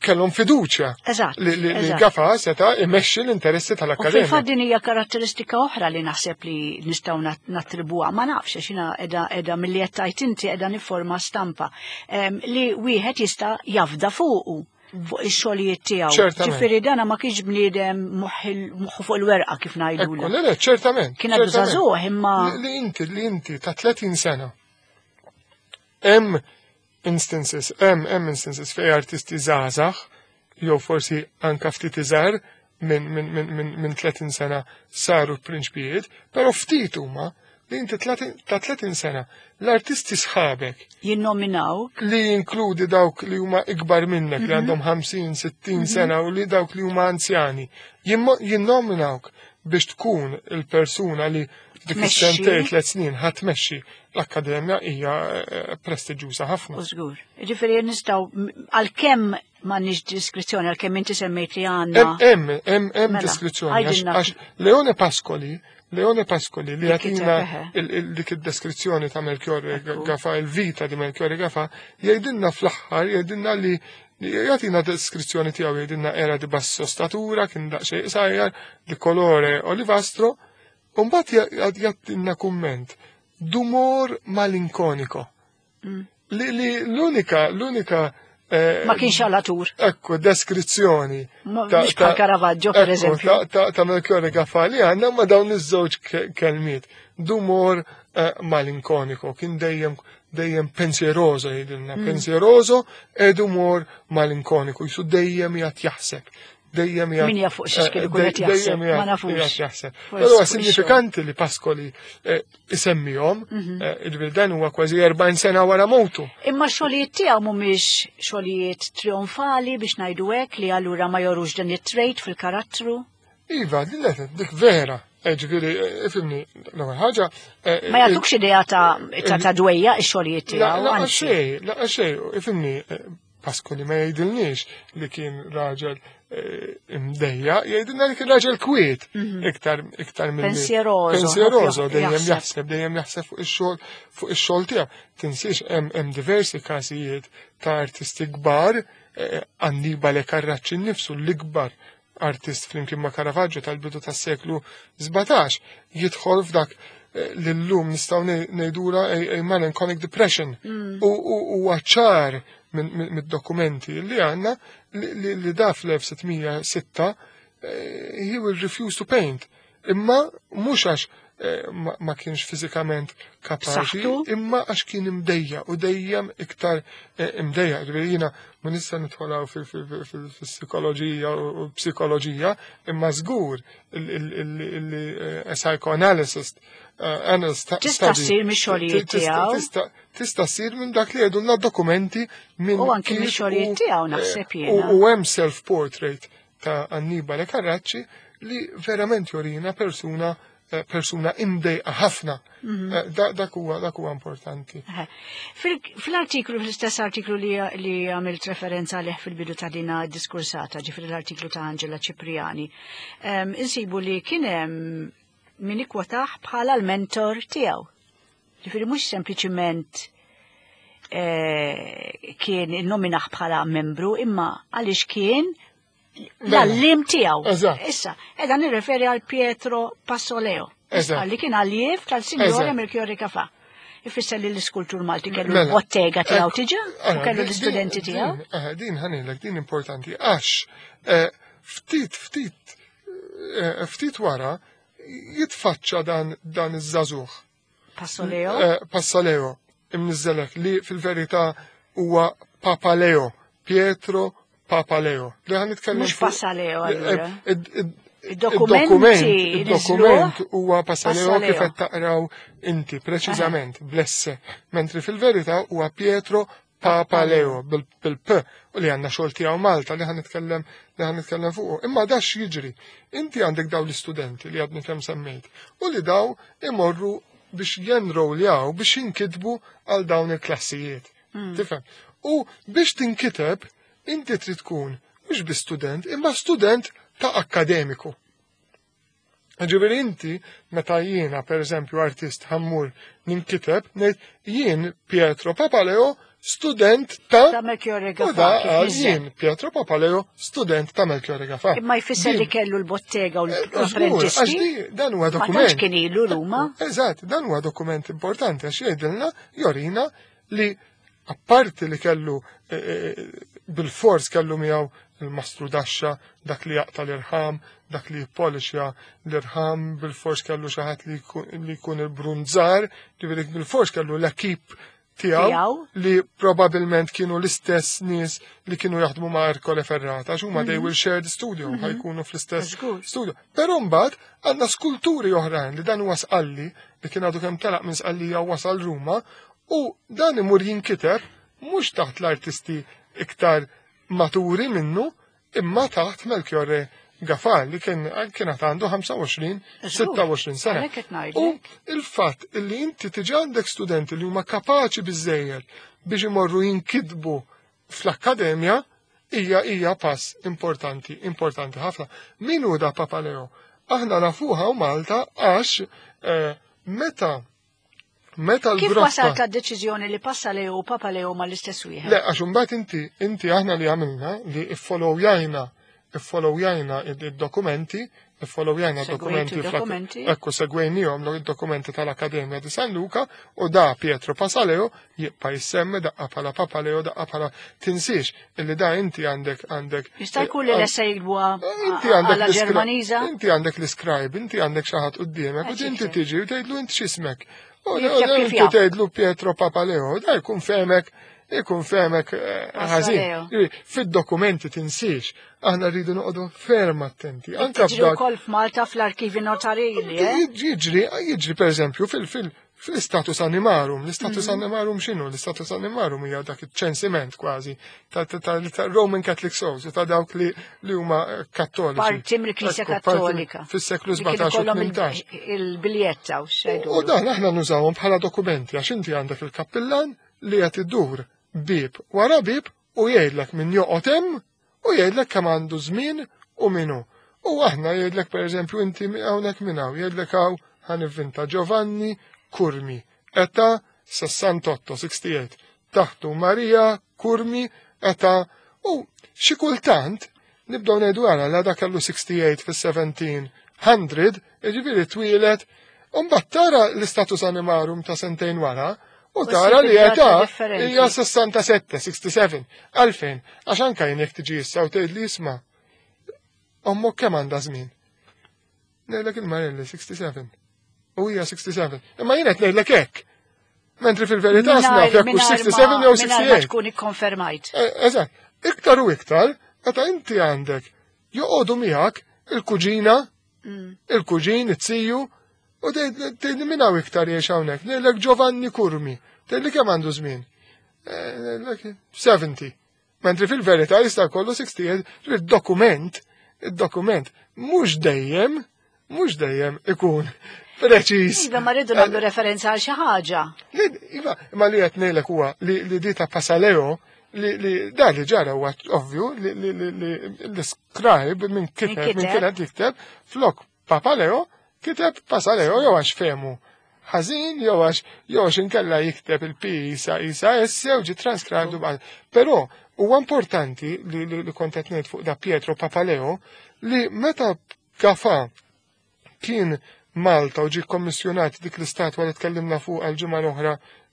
kellhom fiduċja Eżatt, li, li, li eżatt. Gafa seta imexxi l-interessi U tal-akkademja. fil-fatt din hija karatteristika oħra li naħseb li nistgħu nat- nattribwuha, ma nafx għax jiena qiegħda qiegħda milli qed tgħid inti qiegħda niforma stampa em, li wieħed jista' jafda fuqu fuq ix-xogħlijiet tiegħu. Ċertament. Ġifieri dana ma kienx bniedem moħħu fuq il-werqa kif Ekku, ngħidulu. le, le, ċertament. Kien għadu ċertament. żagħżugħ imma Li, li inti, li inti ta' tletin sena. Hemm instances, hemm hemm instances fej artisti żgħażagħ, jew forsi anka ftit iżgħar minn min, min, min, min tletin sena saru prinċpijiet, però ftit huma li inti ta' tletin sena l-artisti sħabek jinnominaw li jinkludi dawk li huma ikbar minnek li għandhom ħamsin, sittin sena u li dawk li huma anzjani, jimmo- jinnominawk biex tkun il-persuna li f'dik is-sentejn tliet snin ħa tmexxi l-akkademja hija eh, prestiġjuża ħafna. U żgur. Ġifieri nistgħu, għalkemm m'għandniex diskrizzjoni, għalkemm inti semmejt li għandna. Hemm hemm hemm mela, diskrizzjoni għax Leone Pascoli Leone Pascoli li jagħtina dik id-deskrizzjoni ta' Melchiorre Gafà, il-vita di Melchiorre Gafà, jgħidilna fl-aħħar, jgħidilna li jagħtina deskrizzjoni tiegħu, jgħidilna era di basso statura, kien daqsxejn qsajjar, di colore olivastro, u mbagħad jagħtina kumment d'umor malinconico. Mm. Li, li l-unika, l-unika eh, Ma kienx għalatur. Ekku, deskrizzjoni. Mhux bħal Caravaggio, per eżempju. Ta' Melchiorre Gafà li għandna ma dawn iż-żewġ kelmiet. D'umor eh, malinconico, kien dejjem dejjem pensieroso jgħidilna, mm. pensieroso ed umor malinconico, jisu dejjem jgħat jaħseb. Dejjem jgħat. Min jaf fuq xiex kien ikun qed jaħseb, ma nafux. Jaħseb. Però sinifikanti li Pascoli eh, isemmihom, mhm. eh, il dan huwa kważi erbgħin sena wara mewtu. Imma xogħlijiet tiegħu mhumiex xogħlijiet trionfali biex ngħidu hekk, li allura ma jorux dan it-trait fil-karattru? Iva, dik vera. Eh, ġifieri, ifhimni, l-ewwel ħaġa. Ma jagħtukx idea ta' ta' dwejja x-xogħlijiet tiegħu. La xejn, la xejn, ifhimni, Pascoli ma jgħidilniex li kien raġel imdejja, jgħidilna li kien raġel kwiet, mhm. iktar iktar mill Pensieroso. Pensieroso, dejjem jaħseb, dejjem jaħseb fuq ix-xogħol fuq ix-xogħol tiegħu. Tinsiex hemm diversi każijiet ta' artisti kbar, Annibale Carracci nnifsu, l-ikbar artist flimkien ma' Caravaggio tal-bidu tas-seklu sbatax, jidħol f'dak li llum nistgħu ngħidula a melancholic depression. Mm. U ċar mid-dokumenti li għandna li da fl-elf sitt mija u sitta he will refuse to paint. Imma mhux għax ma kienx fiżikament kapaċi, imma għax kien imdejja u dejjem iktar imdejja. Ġifieri jiena ma nista' nidħolaw fil-psikoloġija u psikoloġija, imma żgur il-psychoanalysis analyst Tista' ssir mix-xogħlijiet tiegħu. Tista' ssir minn dak li jgħidulna dokumenti minn U anke mix-xogħlijiet tiegħu naħseb jiena. U hemm self-portrait ta' Annibale Carracci li verament jorina persuna persuna imdejqa ħafna. Mhm. Dak huwa dak huwa importanti. Fil-artiklu, fl-istess artiklu li għamilt referenza għalih fil-bidu ta' dina diskursata, ġifieri l-artiklu ta' Angela Cipriani, insibu li kien hemm min ikkwotah bħala l-mentor tiegħu. Ġifieri mhux sempliċiment kien innominaħ bħala membru, imma għaliex kien l-għalliem tiegħu. Issa, edha nirreferi għal Pietro Passoleo. Li kien alliev tal-Sinjore Melchiorre Gafà. Ifisser li l-iskultur Malti kellu mela, l-bottega tiegħu tiġa u kellu l-istudenti tiegħu. Din ħanilek, din importanti għax ftit ftit ftit wara jitfaċċa dan dan iż-żagħżugħ. Passoleo? Passoleo, imniżżelek li fil-verità huwa Papaleo, Pietro Papaleo. Li ħan nitkellem. Mhux Passaleo allura. Id-dokumenti Il-dokument huwa Passaleo kif qed taqraw inti preċiżament bl-esse, mentri fil-verità huwa Pietro Papaleo bil-P u li għandna xogħol tiegħu Malta li ħan nitkellem li ħan nitkellem fuqu. Imma dax jiġri. Inti għandek daw l-istudenti li għadni kemm semmejt u li daw imorru biex jenroljaw, biex jinkitbu għal dawn il-klassijiet. Hmm. Tifhem? U biex tinkiteb inti trid tkun mhux bi student, imma student ta' akkademiku. Ġifieri inti, meta jiena, per eżempju, artist ħa mmur ninkiteb, ngħid jien Pietro Papaleo, student ta' Ta' Melchiorre U da jien Pietro Papaleo, student ta' Melchiorre Gafà. Imma jfisser li kellu l-bottega u l-apprentisti. Dan huwa dokument. Ma kien ilu Ruma. Eżatt, dan huwa dokument importanti għax jgħidilna, jorina li apparti li kellu eh, eh, bil-fors kellu miegħu il-mastru daxxa, dak li jaqta l-irħam, dak li jippolixja l-irħam, bil-fors kellu xi ħadd li jkun il-brunzar, ġifieri bil-fors kellu l-ekip tiegħu li probabilment kienu l-istess nies li kienu jaħdmu ma' Ercole Ferrata, għax huma they mhm. will share the studio, mhm. ħajkunu fl-istess studio. Però mbagħad għandna skulturi oħrajn li dan huwa Sqalli li kien għadu kemm telaq minn Sqallija u wasal Ruma, u dan imur jinkiteb mhux taħt l-artisti iktar maturi minnu, imma taħt Melchiorre Gafà li kien kien għandu ħamsa u għoxrin, sitta u għoxrin sena. Għalhekk qed ngħidlek. U il-fatt illi inti tiġi għandek studenti li huma kapaċi biżejjed biex imorru jinkitbu fl-akkademja hija hija pass importanti, importanti ħafna. Min hu da Papaleo? Aħna nafuha u Malta għax eh, meta meta Kif l-grotta wasalt għad-deċiżjoni li Passaleo u Papaleo ma l-istess wieħed? Le, għax imbagħad inti inti aħna li għamilna li iffollowjajna iffollowjajna id-dokumenti, iffollowjajna Segwejtu dokumenti d-dokumenti? Ekku, segwejnihom id-dokumenti tal-Akkademja di San Luca u da Pietro Pasaleo jibqa' jissemmi daqqa bħala Papaleo, daqqa bħala. Tinsiex illi da inti għandek għandek Jista' jkun li lesa jiktbuha Inti għandek għala l-iskri- Ġermaniża? Inti għandek l-scribe, inti għandek xi ħadd quddiemek, u Eh, inti ċifri. tiġi u tgħidlu: "Inti x'ismek?" U Jikteb kif inti jaf. tgħidlu Pietro Papaleo, da jkun femek, jkun femek eh, ħażin. Pasaleo. Ġifieri, fid-dokumenti tinsiex, aħna rridu noqogħdu ferm attenti. Anka Tiġri f'dak wkoll f'Malta fl-arkivi notarili, eh? Jiġri, jiġri per eżempju fil- fil- fil-status animarum. L-status animarum x'inhu? L-status animarum hija dak iċ-ċensiment kważi ta' ta' ta' ta' Roman Catholic souls, ta' dawk li li huma eh, kattoliċi. Parti mill-Knisja Ekku, parti Kattolika. fis-seklu Li kienu sbatax u kollhom il- tmintax. il-biljetta u xejdu. U dan aħna nużawhom bħala dokumenti għax inti għandek il-kappillan li qed iddur bib wara bib u jgħidlek min joqgħod hemm u jgħidlek kemm għandu żmien u minu. U aħna jgħidlek, pereżempju, inti hawnhekk minn hawn, jgħidlek hawn, ħa nivvinta, Giovanni Curmi, età sessantotto, sessantotto, taħtu Maria Curmi, età, u xi kultant nibdew ngħidu għara la dak kellu sessantotto fis-seventeen hundred, jiġifieri twieled. U mbagħad tara l-istatus animarum ta' sentejn wara u U tara li ssib età id-data differenti. hija sessantasette, sessantasebgħa. Għalfejn? Għax anka jien jekk tiġi issa u tgħid li: "Isma', ommok kemm għandha żmien?" Ngħidlek il-Marelli sessantasebgħa. U hija sessantasebgħa. Imma jien qed ngħidlek hekk. Mentri fil-verità naf jekk hux sessantasebgħa jew Mingħajr ma sessantotto. tkun ikkonfermajt. Eh, Eżatt, iktar u iktar, meta inti għandek joqogħdu miegħek il-kuġina, il-kuġin, it-siju, u tgħid: "Min hawn iktar jgħix hawnhekk?" Ngħidlek Giovanni Curmi. Tgħidli: "Kemm għandu żmien?" Eh, ngħidlek sebgħin. Mentri fil-verità jista' jkollu sessantotto, il-dokument, il-dokument mhux dejjem, mhux dejjem ikun preċiż. Iva, ma rridu nagħmlu referenza għal xi ħaġa. Li, iva, ma li qed ngħidlek huwa li li di ta' Pasaleo li li da li ġara huwa ovvju li li li li l-scribe minn kiteb Min minn kiteb. kienet jikteb flok Papaleo kiteb Pasaleo, jew għax fehmu ħażin jew għax jew għax inkella jikteb il-P isa isa S jew ġi transcribed u. Però huwa importanti li li, li kont qed ngħid fuq da Pietro Papaleo li meta Gafà kien Malta u ġi kommissjonat dik l-istatwa li tkellimna fuq għal-ġimgħa l-oħra,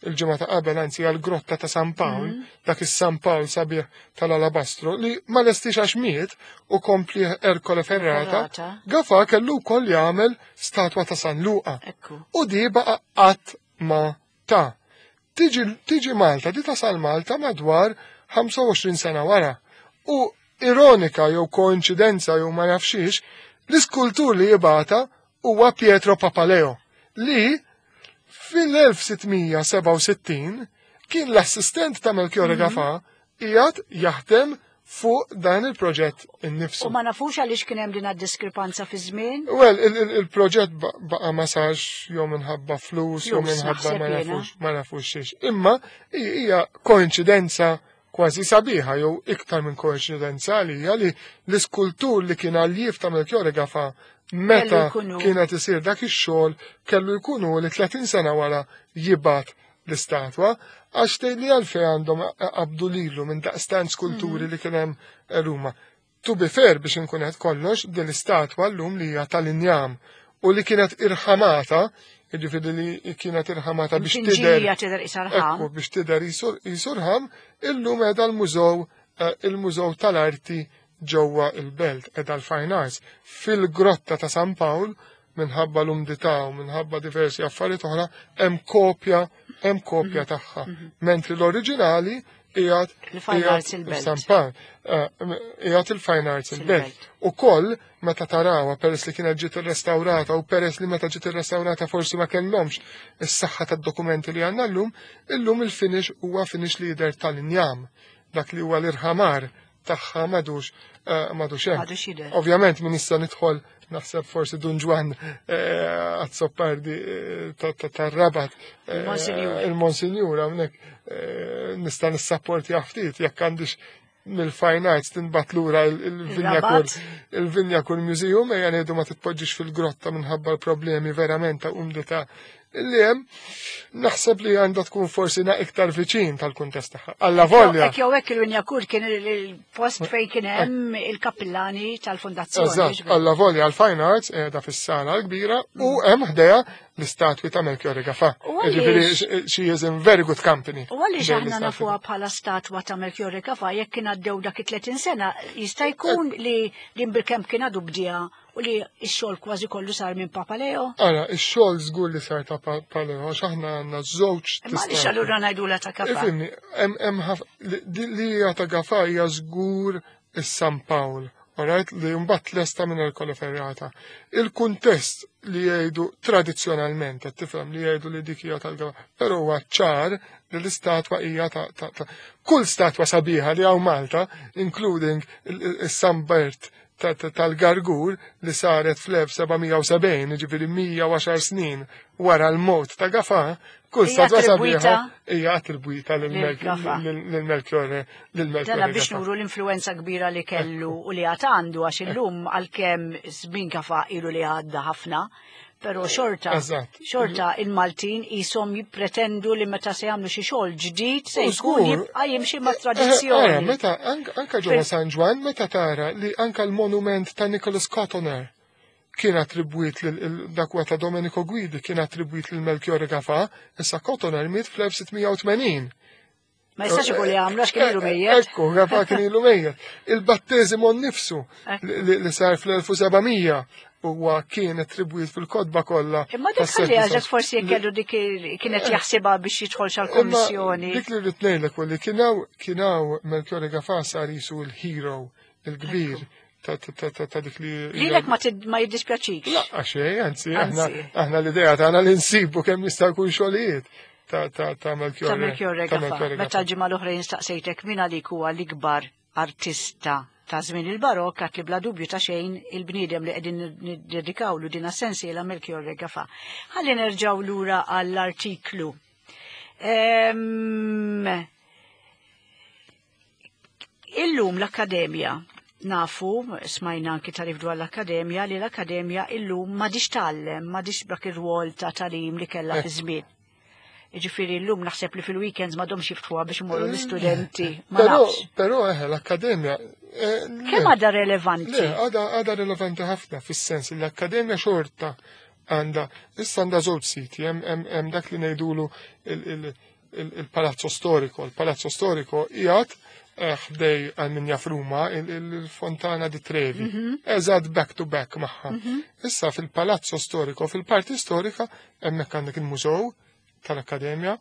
il-ġimgħa ta' qabel anzi, għal-grotta ta' San Pawl, dak is-San Pawl sabiħ tal-alabastro li ma lestix għax miet u kompli Ercole Ferrata, Ferrata. Gafà kellu wkoll jagħmel statwa ta' San Luqa. Ekku. U di baqa qatt ma ta. Tiġi, tiġi Malta, di tasal Malta madwar ħamsa u għoxrin sena wara. U ironika jew koinċidenza jew ma nafxiex, l-iskultur li jibata huwa Pietro Papaleo, li fil-elf sitt mija sebgħa u sittin kien l-assistent ta' Melchiorre Gafà qiegħed jaħdem fuq dan il-proġett innifsu. U ma nafux għaliex kien hemm din diskrepanza fi żmien? Well, il-proġett baqa ma sarx jew minħabba flus, jew Flus, minħabba naħseb ma jiena. nafux, ma nafux xiex. Imma hija koinċidenza kważi sabiħa jew iktar minn koinċidenza li hija li l-iskultur li kien alljiev ta' Melchiorre Gafà meta Kellu jkunu. kienet isir dak ix-xogħol kellu jkunu li tletin sena wara jibgħat l-istatwa, għax tgħid li għalfejn għandhom qabdu lilu minn daqstant skulturi li kien hemm Ruma. To be fair, biex inkun qed kollox, din l-istatwa llum li hija tal-injam u li kienet irħamata, jiġifieri li kienet irħamata biex tidher Tinġija tidher isarħam. Ekku, biex tidher jisurħam, illum qiegħda l-mużew eh, il-Mużew tal-Arti ġewwa il-Belt, qiegħda l-Fine Arts. Fil-grotta ta' San Pawl, minħabba l-umdità u minħabba diversi affarijiet oħra, hemm kopja hemm kopja tagħha. Mentri l-oriġinali qiegħed Il-Fine qiegħed Arts il-Belt. San Pawl, eh, qiegħed il-Fine Arts il-Belt. Il-Belt. U koll meta tarawha, peress li kienet ġiet irrestawrata u peress li meta ġiet irrestawrata forsi ma kellhomx is-saħħa tad-dokumenti li għandna llum, illum il-finish huwa finish li jidher tal-injam, dak li huwa l-irħamar tagħha m'għadux m'għadux hemm. Ovvjament min issa nidħol naħseb forsi Dun Ġwann Azzopardi tar-Rabat, il-Monsinjur hawnhekk nista' nissapporti ftit jekk għandix mill-Fine Arts tinbat lura il-Wignacourt il-Wignacourt Museum, ejja ngħidu ma titpoġġix fil-grotta minħabba l-problemi verament ta' umdità li hemm, naħseb li għandha tkun forsi na iktar viċin tal-kuntest tagħha. Alla volja. Hekk jew hekk il-Wignacourt kien il-post fejn kien hemm il-kappillani tal-fondazzjoni. Eżatt, alla volja l-Fine Arts qiegħda fis-sala l-kbira u hemm ħdejha l-istatwi ta' Melchiorre Gafà. Ġifieri she is in very good company. U għaliex aħna nafuha bħala statwa ta' Melchiorre Gafà jekk kien għaddew dak it-tletin sena, jista' jkun li din bilkemm kien għadu bdieha u li x-xogħol kważi kollu sar minn Papa Leo? Ara, ix-xogħol żgur li sar ta' Papa Leo, għax aħna għandna żewġ Imma għaliex allura ngħidulha ta' Gafà? Ifhimni, hemm li hija ta' Gafà hija żgur is-San Pawl, alright, li mbagħad lesta minn Ercole Ferrata. Il-kuntest li jgħidu tradizzjonalment, qed tifhem li jgħidu li dik hija tal-Gafà, però huwa ċar li l-istatwa hija ta' ta' kull statwa sabiħa li hawn Malta, including is-San Bert tal-Gargur li saret fl-elf seba' mija u sebgħin, ġifieri mija u għaxar snin wara l-mewt ta' Gafà, kull statwa sabiħa hija attribwita lil Melchiorre lil Melchiorre. Dana biex nuru l-influenza kbira li kellu u li għad għandu, għax illum għalkemm żmien Gafà ilu li għadda ħafna, però xorta, xorta il-Maltin jisom jippretendu li meta se jagħmlu xi xogħol ġdid se jkun jibqa' jimxi ma' tradizzjoni. Meta anka ġewwa San Ġwann meta tara li anka l-monument ta' Nicholas Cotoner kien attribwit lil dak huwa ta' Domenico Guidi, kien attribwit lil Melchiorre Gafà, issa Cotoner miet fl-elf sitt mija u tmenin. Ma jistax ikun li għamlu għax kien ilu mejjet. Ekku, Gafà kien ilu mejjet. Il-batteżimo nnifsu li sar fl-elf u seba' mija huwa kien attribwit fil-kotba kollha. Imma dik ħalli għax forsi jekk kellu dik kienet jaħsibha biex jidħol xal-kommissjoni. Dik li rrid ngħidlek u li kien hawn kien hawn Melchiorre Gafà sar jisu l-hero il-kbir ta' ta' dik li. Lilek ma ma jiddispjaċik. La, xejn, anzi, aħna aħna l-idea tagħna li nsibu kemm jista' jkun xogħlijiet ta' ta' ta' Melchiorre. Ta' Melchiorre Gafà. Meta l-ġimgħa l-oħra staqsejtek min għalik huwa l-ikbar artista ta' żmien il-barokk, għat li bla dubju ta' xejn il-bniedem li qegħdin niddedikawlu din sensiela, Melchiorre Gafà. Ħalli nerġgħu lura għall-artiklu. Ehm, Illum l-Akkademja nafu, smajna anki tarif dwar l-Akkademja, li l-Akkademja illum m'għadhiex tgħallem, m'għadhiex dak ir-rwol ta' tagħlim li kellha fi żmien. Ġifieri llum naħseb li fil-weekends m'għadhomx jiftħuha biex imorru l-istudenti. Ma Però, nafx. Però eħe, l-Akkademja eh, le. Kemm għadha relevanti? Le, għadha għadha relevanti ħafna fis-sens li l-Akkademja xorta għandha, issa għandha żewġ siti, hemm hemm hemm dak li ngħidulu il- il- il- il-Palazzo Storico. Il-Palazzo Storico qiegħed eh, ħdej għal min jaf Ruma il-Fontana di Trevi. Eżatt back to back magħha. Issa fil-Palazzo Storico, fil-parti storika, hemmhekk għandek il-mużew tal-Akkademja,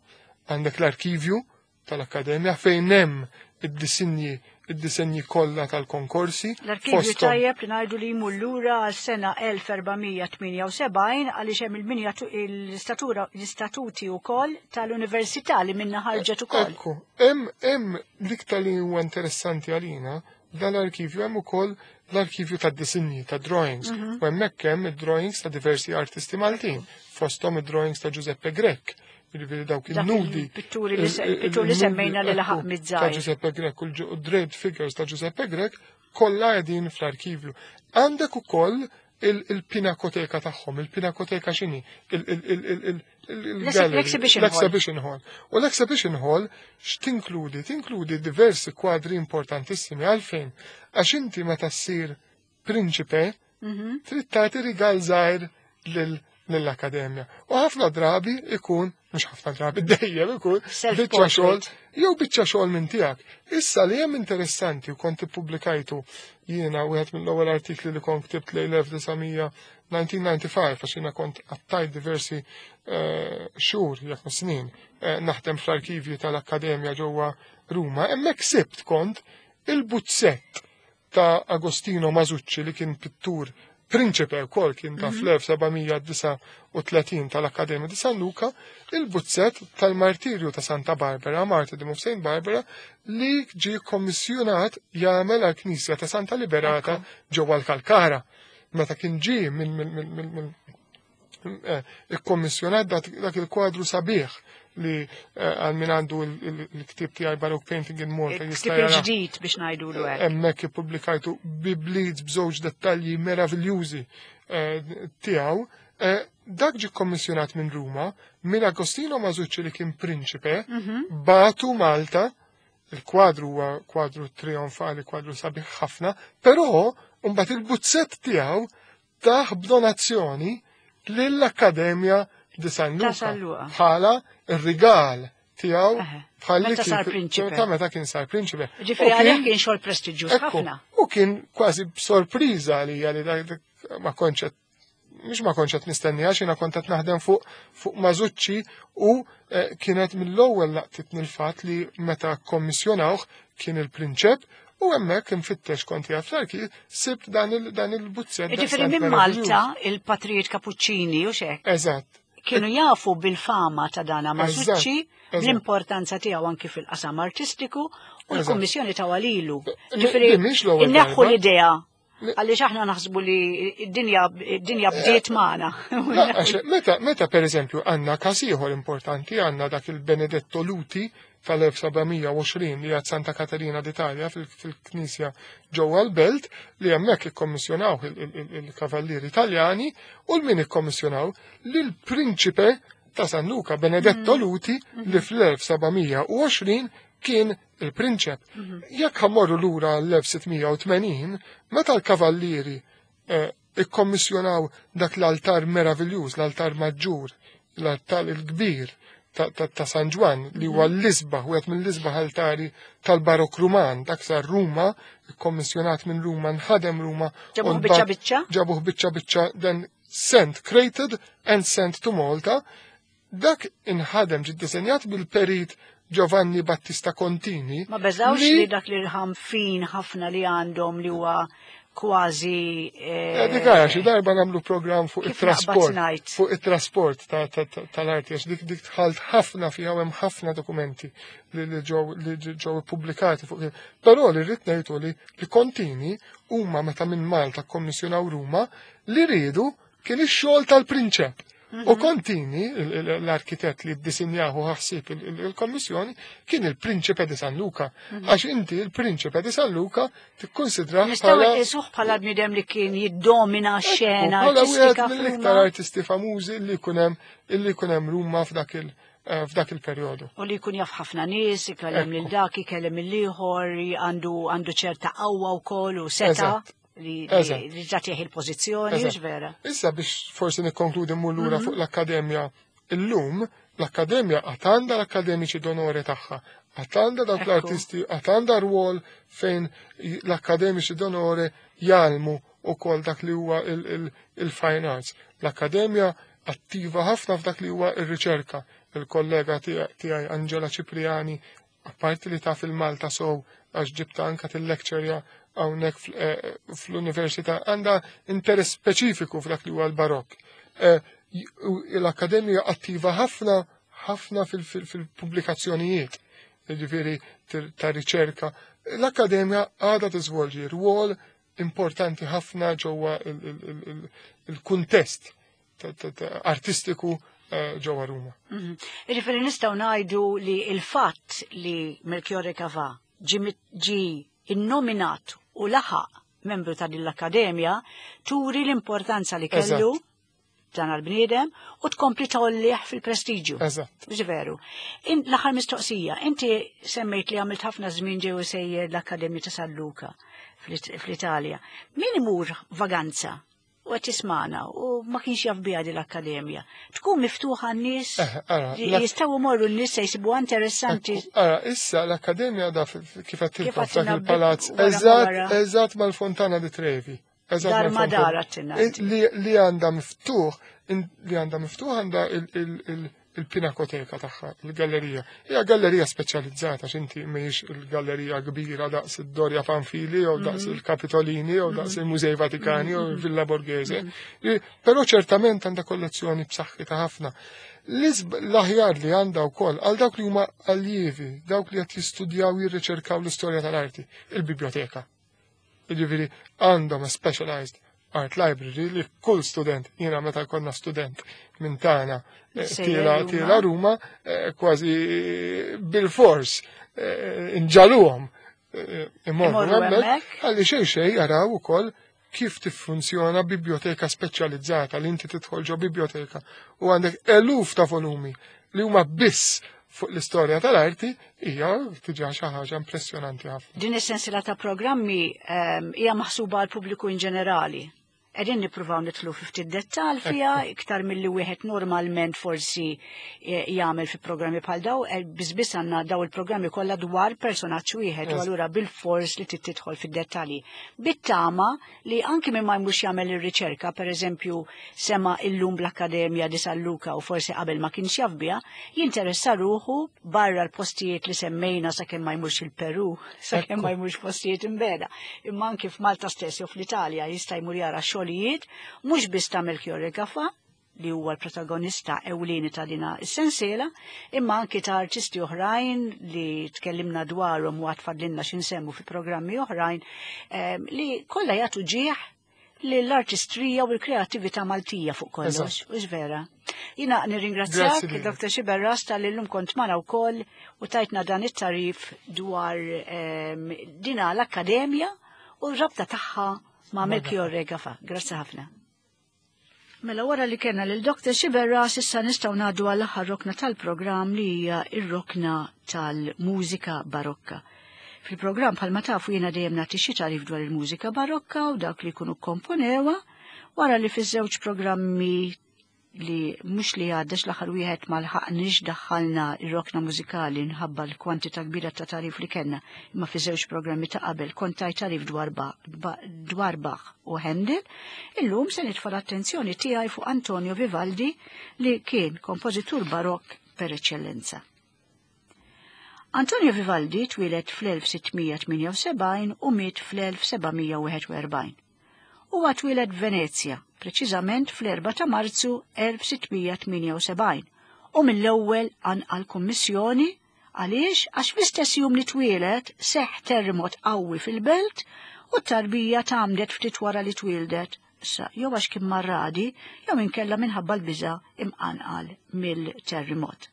għandek l-arkivju tal-Akkademja fejn hemm id-disinji id-disinji kollha tal-konkorsi. L-arkivju fosthom- tajjeb li ngħidu li jmur lura għal sena elf erba' mija tmienja u sebgħin għaliex hemm il-minjatu l-istatura l-istatuti wkoll tal-Università li minna ħarġet ukoll. Ekku, hemm hemm l-iktar li huwa interessanti għalina dan l-arkivju, hemm ukoll l-arkivju ta' disinji, ta' drawings. Mhm. U hemmhekk hemm id-drawings ta' diversi artisti Maltin, fosthom id-drawings ta' Giuseppe Grech, jiġifieri dawk Dak il-nudi. il-pitturi li se- il- il- il-pitturi li il-nudi, semmejna li laħaq ekku, miż-żgħir. ta' Giuseppe Grech u l-draped figures ta' Giuseppe Grech kollha qegħdin fl-arkivju. Għandek ukoll il- il-pinakoteka tagħhom, il-pinakoteka x'inhi? Il- il- il- il- il- il- il-gallery, L-exhibition hall. L-exhibition hall. U l-exhibition hall x'tinkludi? Tinkludi diversi kwadri importantissimi. Għalfejn? Għax inti meta ssir prinċipe, Mhm. trid tagħti rigal żgħir lil lill-akkademja. U ħafna drabi ikun, mhux ħafna drabi, dejjem ikun biċċa xogħol Self-portrait. jew biċċa xogħol minn tiegħek. Issa li hemm interessanti u kont ippubblikajtu jiena wieħed mill-ewwel artikli li kont ktibt lejn elf disa' mija disgħa u disgħin għax jiena kont għaddejt diversi eh, xhur jekk mhux snin eh, naħdem fl-arkivji tal-Akkademja ġewwa Ruma, hemmhekk sibt kont il-buzzett ta' Agostino Masucci li kien pittur prinċipe wkoll kien ta' fl-elf sebgħamija disgħa u tletin tal-Akkademja di San Luca, il-buzzett tal-martirju ta' Santa Barbara, Martyrdom of Saint Barbara, li ġie kommissjonat jagħmel għall-Knisja ta' Santa Liberata ġewwa l-Kalkara. Meta kien ġie minn minn minn eh, ikkommissjonat dak il-kwadru sabiħ li għal min għandu il-ktib tiegħi Baroque Painting in Malta jista' jara. Ġdid biex ngħidulu hekk. Hemmhekk ippubblikajtu bibliet b'żewġ dettalji meraviljużi tiegħu. Dak ġie kommissjonat minn Ruma, minn Agostino Masucci li kien prinċipe, batu Malta, il-kwadru huwa kwadru trionfali, kwadru sabiħ ħafna, però mbagħad il-buzzett tiegħu taħ b'donazzjoni lill-Akkademja di San Luca bħala ir-rigal tiegħu bħal meta sar prinċipe. Ta' meta kien sar prinċipe. Ġifieri għalih kien xogħol prestiġjuż ħafna. U kien kważi sorpriża għalija li dak ma kontx mhux ma kontx qed nistenni għax jiena kont qed naħdem fuq fuq Masucci u kienet mill-ewwel laqtitni l-fatt li meta kommissjonawh kien il-prinċep u hemmhekk infittex kont jaf fl-arkiv sibt dan il-buzzett. Ġifieri minn Malta il-patrijiet Kapuċċini u xek. Eżatt. Kienu jafu bil-fama ta' dana Masucci, l-importanza tiegħu anki fil-qasam artistiku u l-kummissjoni ta' għalilu. Ġifieri inneħħu l-idea għaliex aħna naħsbu li d-dinja bdiet magħna. Meta meta pereżempju għandna każ ieħor importanti, għandna dak il-Benedetto Luti tal-elf sebgħamija u għoxrin li għad Santa Caterina d'Italia fil-Knisja ġewwa l-Belt li hemmhekk ikkommissjonaw il-Kavallieri Italjani u l-min ikkommissjonaw lill-Prinċipe ta' San Luca Benedetto Luti li fl-elf sebgħamija u għoxrin kien il-prinċep. Jekk ħammorru lura l-elf sittmija u tmenin, meta l-Kavallieri ikkommissjonaw dak l-altar meraviljuż, l-altar maġġur, l-altar il-kbir ta' San Ġwann li huwa l-isbaħ, wieħed mill-isbaħ altari tal-Barok Ruman, dak sar Ruma, ikkommissjonat minn Ruma, nħadem Ruma. Ġabuh biċċa biċċa? Ġabuh biċċa biċċa, then sent, created and sent to Malta. Dak inħadem ġi ddisinjat bil-perit Giovanni Battista Contini. Ma beżawx li dak li rħam fin ħafna li għandhom li huwa kważi. Dik għara xi darba nagħmlu programm fuq it-trasport. Fuq it-trasport tal-arti, għax dik dik tħalt ħafna fiha hemm ħafna dokumenti li ġew ippubblikati fuq. Però li rrid ngħidu li li Contini huma meta minn Malta kkommissjonaw Ruma li riedu kien ix-xogħol tal-prinċep. U Contini, l-arkitett li ddisinjahu ħassib il-kommissjoni, kien il-Prinċipe di San Luca. Għax inti il-Prinċipe di San Luca tikkonsidrah bħala. Nistgħu bħala bniedem li kien jiddomina x-xena artistika. Bħala wieħed mill-iktar artisti famużi li jkun hemm illi jkun hemm Ruma f'dak il- f'dak il-perjodu. U li jkun jaf ħafna nies, ikellem lil dak, ikellem il-ieħor, għandu ċerta qawwa wkoll u seta'. Li ġatieħ il-pożizzjoni, vera. Issa biex forsi nikkonkludi mmur lura fuq l-Akkademja illum, l-Akkademja għad għandha l-akkademiċi d'onore tagħha, għad għandha dawk l-artisti, għad għandha rwol fejn l-akkademiċi d'onore jgħallmu wkoll dak li huwa il-fine arts. L-Akkademja attiva ħafna f'dak li huwa ir-riċerka. Il-kollega tiegħi Angela Cipriani, apparti li taf il-Malta sow għax ġibta anka til-lecture hawnhekk fl-università, għandha interess speċifiku f'dak li huwa l-barokk. L-Akkademja attiva ħafna ħafna fil-pubblikazzjonijiet, jiġifieri ta' riċerka. L-Akkademja għadha tiżvolġi rwol importanti ħafna ġewwa il-kuntest artistiku ġewwa Ruma. Jiġifieri nistgħu ngħidu li l-fatt li Melchiorre Gafà ġie innominat u laħaq membru ta' din l-Akkademja turi l-importanza li kellu dan għal-bniedem u tkompli tollih fil-prestiġju. Eżatt. Veru. L-aħħar mistoqsija, inti semmejt li għamilt ħafna żmien ġew sejjer l-Akkademja ta' San Luca fl-Italja. Min imur vaganza u qed tismana u ma kienx jaf biha din l-Akkademja. Tkun miftuħa n-nies jistgħu jmorru n-nies se jsibuha interessanti. Ara, issa l-Akkademja da kif qed tilqa' f'dak il-palazz eżatt eżatt mal-Fontana di Trevi. Dar ma dar għattinna. Li għandha miftuħ, li għandha miftuħ għandha il-pinakoteka tagħha, il-gallerija. Hija gallerija speċjalizzata x'inti mhijiex il-gallerija kbira daqs id-Doria Panfili jew daqs mhm. il-Kapitolini jew daqs mhm. il-Mużej Vatikani jew il-Villa Borghese. Mhm. Però ċertament għandha kollezzjoni b'saħħitha ħafna. L-aħjar li għandha wkoll għal dawk li huma allievi, dawk li qed jistudjaw jirriċerkaw l-istorja tal-arti, il-biblioteka. Jiġifieri għandhom a specialized art library li kull student, jiena meta konna student minn tagħna eh, tiela tiela Ruma, eh, kważi bil-fors eh, inġagħluhom imorru hemmhekk għalli xejn xejn jaraw ukoll kif tiffunzjona biblioteka speċjalizzata li inti tidħol ġo biblioteka u għandek eluf ta' volumi li huma biss fuq l-istorja tal-arti hija diġà xi ħaġa impressjonanti ħafna. Din is-sensiela ta' programmi ehm, hija maħsuba għal pubbliku in ġenerali. Qegħdin nippruvaw nidħlu fi ftit dettal fiha iktar milli wieħed normalment forsi eh, jagħmel fi programmi bħal daw, eh, biss għandna daw il-programmi kollha dwar personaġġ wieħed u allura bil-fors li trid tidħol fid-dettalji. Bit-tama li anki minn ma jmurx jagħmel ir-riċerka, pereżempju sema illum bl-Akkademja di San Luca u forsi qabel ma kienx jaf biha, jinteressa ruħu barra l-postijiet li semmejna sakemm ma jmurx il-Peru, sakemm ma jmurx postijiet imbegħda. Imma anki f'Malta stess jew fl-Italja jista' jmur jara xogħlijiet mhux biss ta' Melchiorre Gafà, li huwa l-protagonista ewlieni ta' dina is-sensiela, imma anki ta' artisti oħrajn li tkellimna dwarhom u għad fadlilna x'insemmu fi programmi oħrajn, em, li kollha jagħtu ġieħ l-artistrija u l-kreativita Maltija fuq kollox, u vera. Jiena nirringrazzjak, Grazzi lilek. Doktor Sciberras, talli llum kont magħna wkoll u tajtna dan it-tarif dwar em, dina l-Akkademja u r-rabta tagħha ma' Melchiorre Gafà. Grazzi ħafna. Mela wara li kellna lil Doktor Sciberras, issa nistgħu ngħaddu għall aħħar rokna tal-programm li hija ir-rokna tal-mużika barokka. Fil-programm, bħalma tafu, jiena dejjem nagħti xi tarif dwar il-mużika barokka u dak li jkunu komponewa, wara li fiż-żewġ programmi li mhux li għaddex l-aħħar wieħed ma lħaqniex daħħalna ir-rokna mużikali nħabba l-kwantità kbira ta' tarif li kellna, imma fi żewġ programmi ta' qabel kont tajt tarif dwar Ba- Ba- dwar Bach u Handel, illum se nitfa' l-attenzjoni tiegħi fuq Antonio Vivaldi, li kien kompożitur barokk per eċċellenza. Antonio Vivaldi twieled fl-elf sitt mija tmienja u sebgħin u miet fl-elf seba' mija wieħed u erbgħin. Huwa twieled Venezia, preċiżament fl-erbgħa ta' Marzu elf sitt mija tmienja u sebgħin, u mill-ewwel għal kummissjoni. Għaliex? Għax fl-istess jum li twieled seħ terremot qawwi fil-belt u t-tarbija tgħammdet ftit wara li twieldet. Issa, jew għax kien marradi, jew inkella minħabba l-biża imqanqal mill-terremot.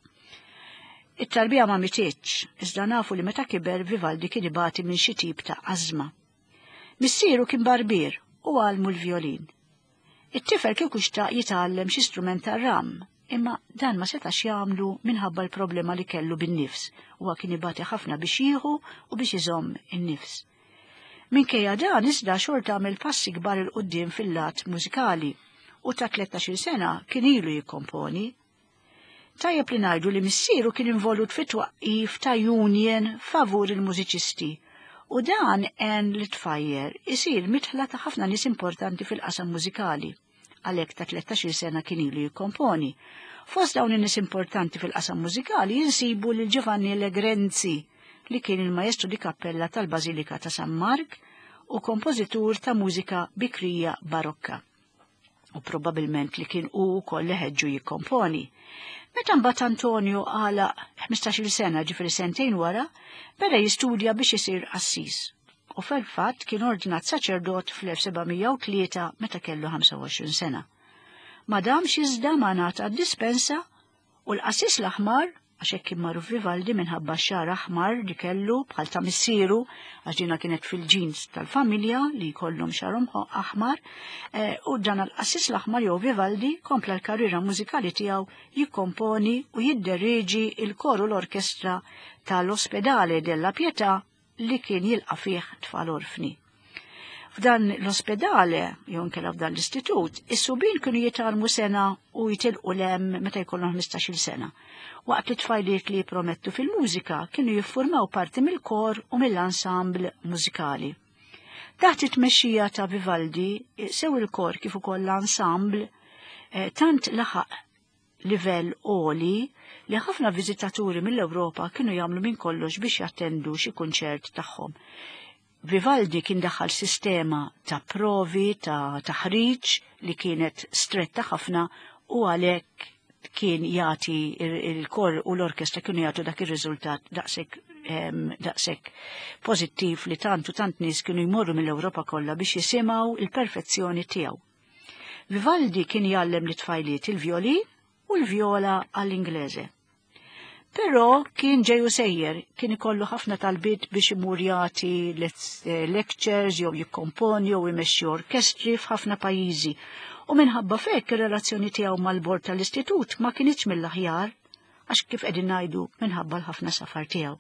It-tarbija ma mititx, iżda nafu li meta kiber Vivaldi kien ibati minn xi tip ta' ażma. Missieru kien barbier u għallmu l-violin. It-tifel kieku xtaq jitgħallem xi strument tar-ram, imma dan ma setax jagħmlu minħabba l-problema li kellu bin-nifs. Huwa kien ibati ħafna biex jieħu u biex iżomm in-nifs. Minkejja dan iżda xorta għamel passi kbar 'il quddiem fil-lat mużikali u ta' tlettax-il sena kien ilu jikkomponi. Tajjeb li ngħidu li missieru kien involut fit twaqqif ta' union favur il-mużiċisti u dan għen lit-tfajjel isir midħla ta' ħafna nies importanti fil-qasam mużikali. Għalhekk ta' tlettax-il sena kien ilu jikkomponi. Fost dawn in-nies importanti fil-qasam mużikali jinsibu lil Giovanni Legrenzi, li kien il-maestro di cappella tal-Bażilika ta' San Mark u kompożitur ta' mużika bikrija barokka. U probabilment li kien u wkoll li ħeġġu jikkomponi. Meta mbagħad Antonio għalaq ħmistax-il sena, ġifieri sentejn wara, beda jistudja biex isir qassis. U fil-fatt kien ordinat saċerdot fl-elf seba' mija u tlieta meta kellu ħamsa u għoxrin sena. Ma damx iżda ma ngħata dispensa u l-qassis l-aħmar, għax hekk kien magħruf Vivaldi minħabba xagħar aħmar li kellu bħal ta' missieru, għax dina kienet fil-ġins tal-familja li jkollhom xagħarhom aħmar, eh, u dan l-qassis l-aħmar jew Vivaldi kompla l-karriera mużikali tiegħu jikkomponi u jidderieġi il-koru l-orkestra tal-Ospedale della Pietà li kien jilqa' fih tfal orfni. F'dan l-ospedale, jew inkella f'dan l-istitut, is-subien kienu jitgħallmu sena u jitilqu 'l hemm meta jkollhom ħmistax-il sena. Waqt li tfajliet li jipromettu fil-mużika kienu jiffurmaw parti mill-kor u mill-ensemble mużikali. Taħt it-tmexxija ta' Vivaldi, sew il-kor kif ukoll l-ensemble eh, tant laħaq livell għoli li ħafna viżitaturi mill-Ewropa kienu jagħmlu minn kollox biex jattendu xi kunċert tagħhom. Vivaldi kien daħal sistema ta' provi, ta' taħriġ li kienet stretta ħafna u għalhekk kien jagħti il-kor u l-orkestra kienu jagħtu dak ir-riżultat daqshekk daqshekk pożittiv li tant u tant nies kienu jmorru mill-Ewropa kollha biex jisimgħu il-perfezzjoni tiegħu. Vivaldi kien jgħallem lit-tfajliet il-violin u l-viola għall-Inglese. Però kien ġeju sejjer, kien ikollu ħafna talbiet biex imur jagħti lectures jew jikkomponi jew imexxi orkestri f'ħafna pajjiżi. U minħabba f'hekk ir-relazzjoni tiegħu mal-bord tal-istitut ma kinitx mill-aħjar, għax kif qegħdin ngħidu minħabba l-ħafna safar tiegħu.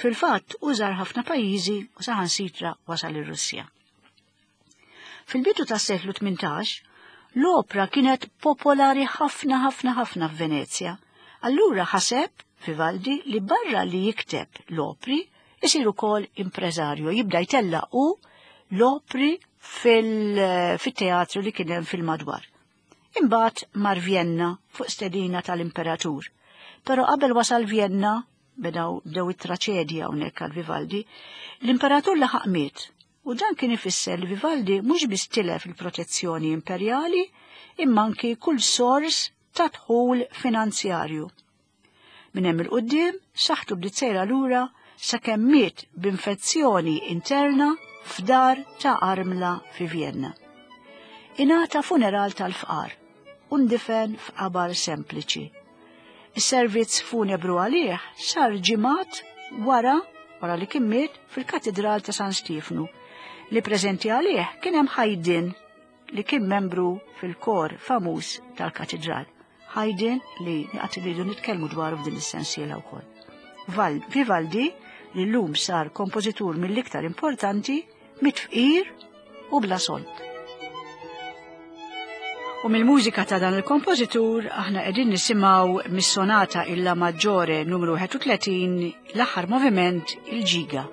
Fil-fatt użar ħafna pajjiżi u saħansitra wasal ir-Russja. Fil-bidu tas-seklu tmintax, l-opra kienet popolari ħafna ħafna ħafna f'Venezja. Allura ħaseb Vivaldi li barra li jikteb l-opri isir ukoll impreżarju, jibda jtella u l-opri fil-teatru li kien hemm fil-madwar. Imbagħad mar Vienna fuq stedina tal-imperatur. Però qabel wasal Vienna, bedaw bdew it-traċedja hawnhekk għal Vivaldi, l-imperatur laħaq miet. U dan kien ifisser li Vivaldi mhux biss tilef il-protezzjoni imperjali, imma anki kull sors ta' dħul finanzjarju. Minn hemm il-quddiem saħħtu bdiet sejra lura sakemm miet b'infezzjoni interna f'dar ta' armla fi Vienna. Ingħata funeral tal-fqar u ndifen f'qabar sempliċi. Is-servizz funebru għalih sar ġimgħat wara wara li kien miet fil-Katedral ta' San Stiefnu. Li preżenti għalih kien hemm Haydn li kien membru fil-kor famuż tal-katedral. Haydn li qatt iridu nitkellmu dwaru f'din is-sensiela wkoll. Vivaldi, li llum sar kompożitur mill-iktar importanti, miet fqir u bla sold. U mill-mużika ta' dan il-kompożitur aħna qegħdin nisimgħu mis-sonata illa Maggiore numru wieħed u tletin l-aħħar moviment il-ġiga.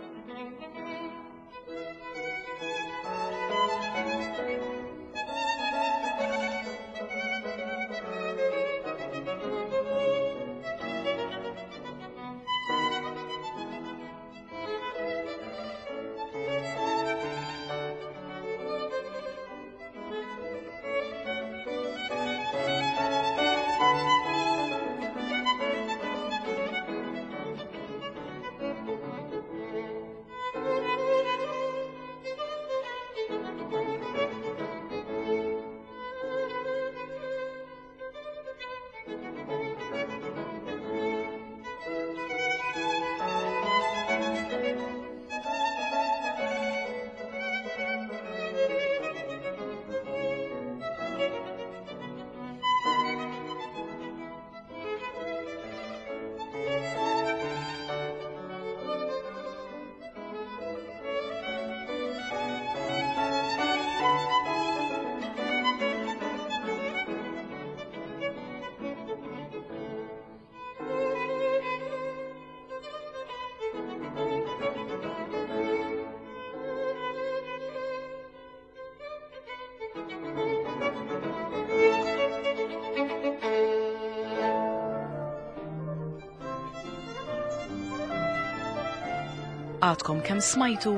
Għadkom kemm smajtu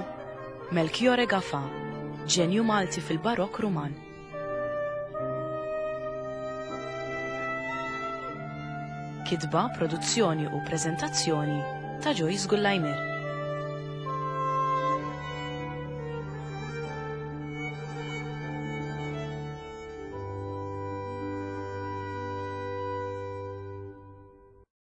Melchiorre Gafà, ġenju Malti fil-Barokk Ruman. Kitba, produzzjoni u preżentazzjoni ta' Joyce Gullajmir.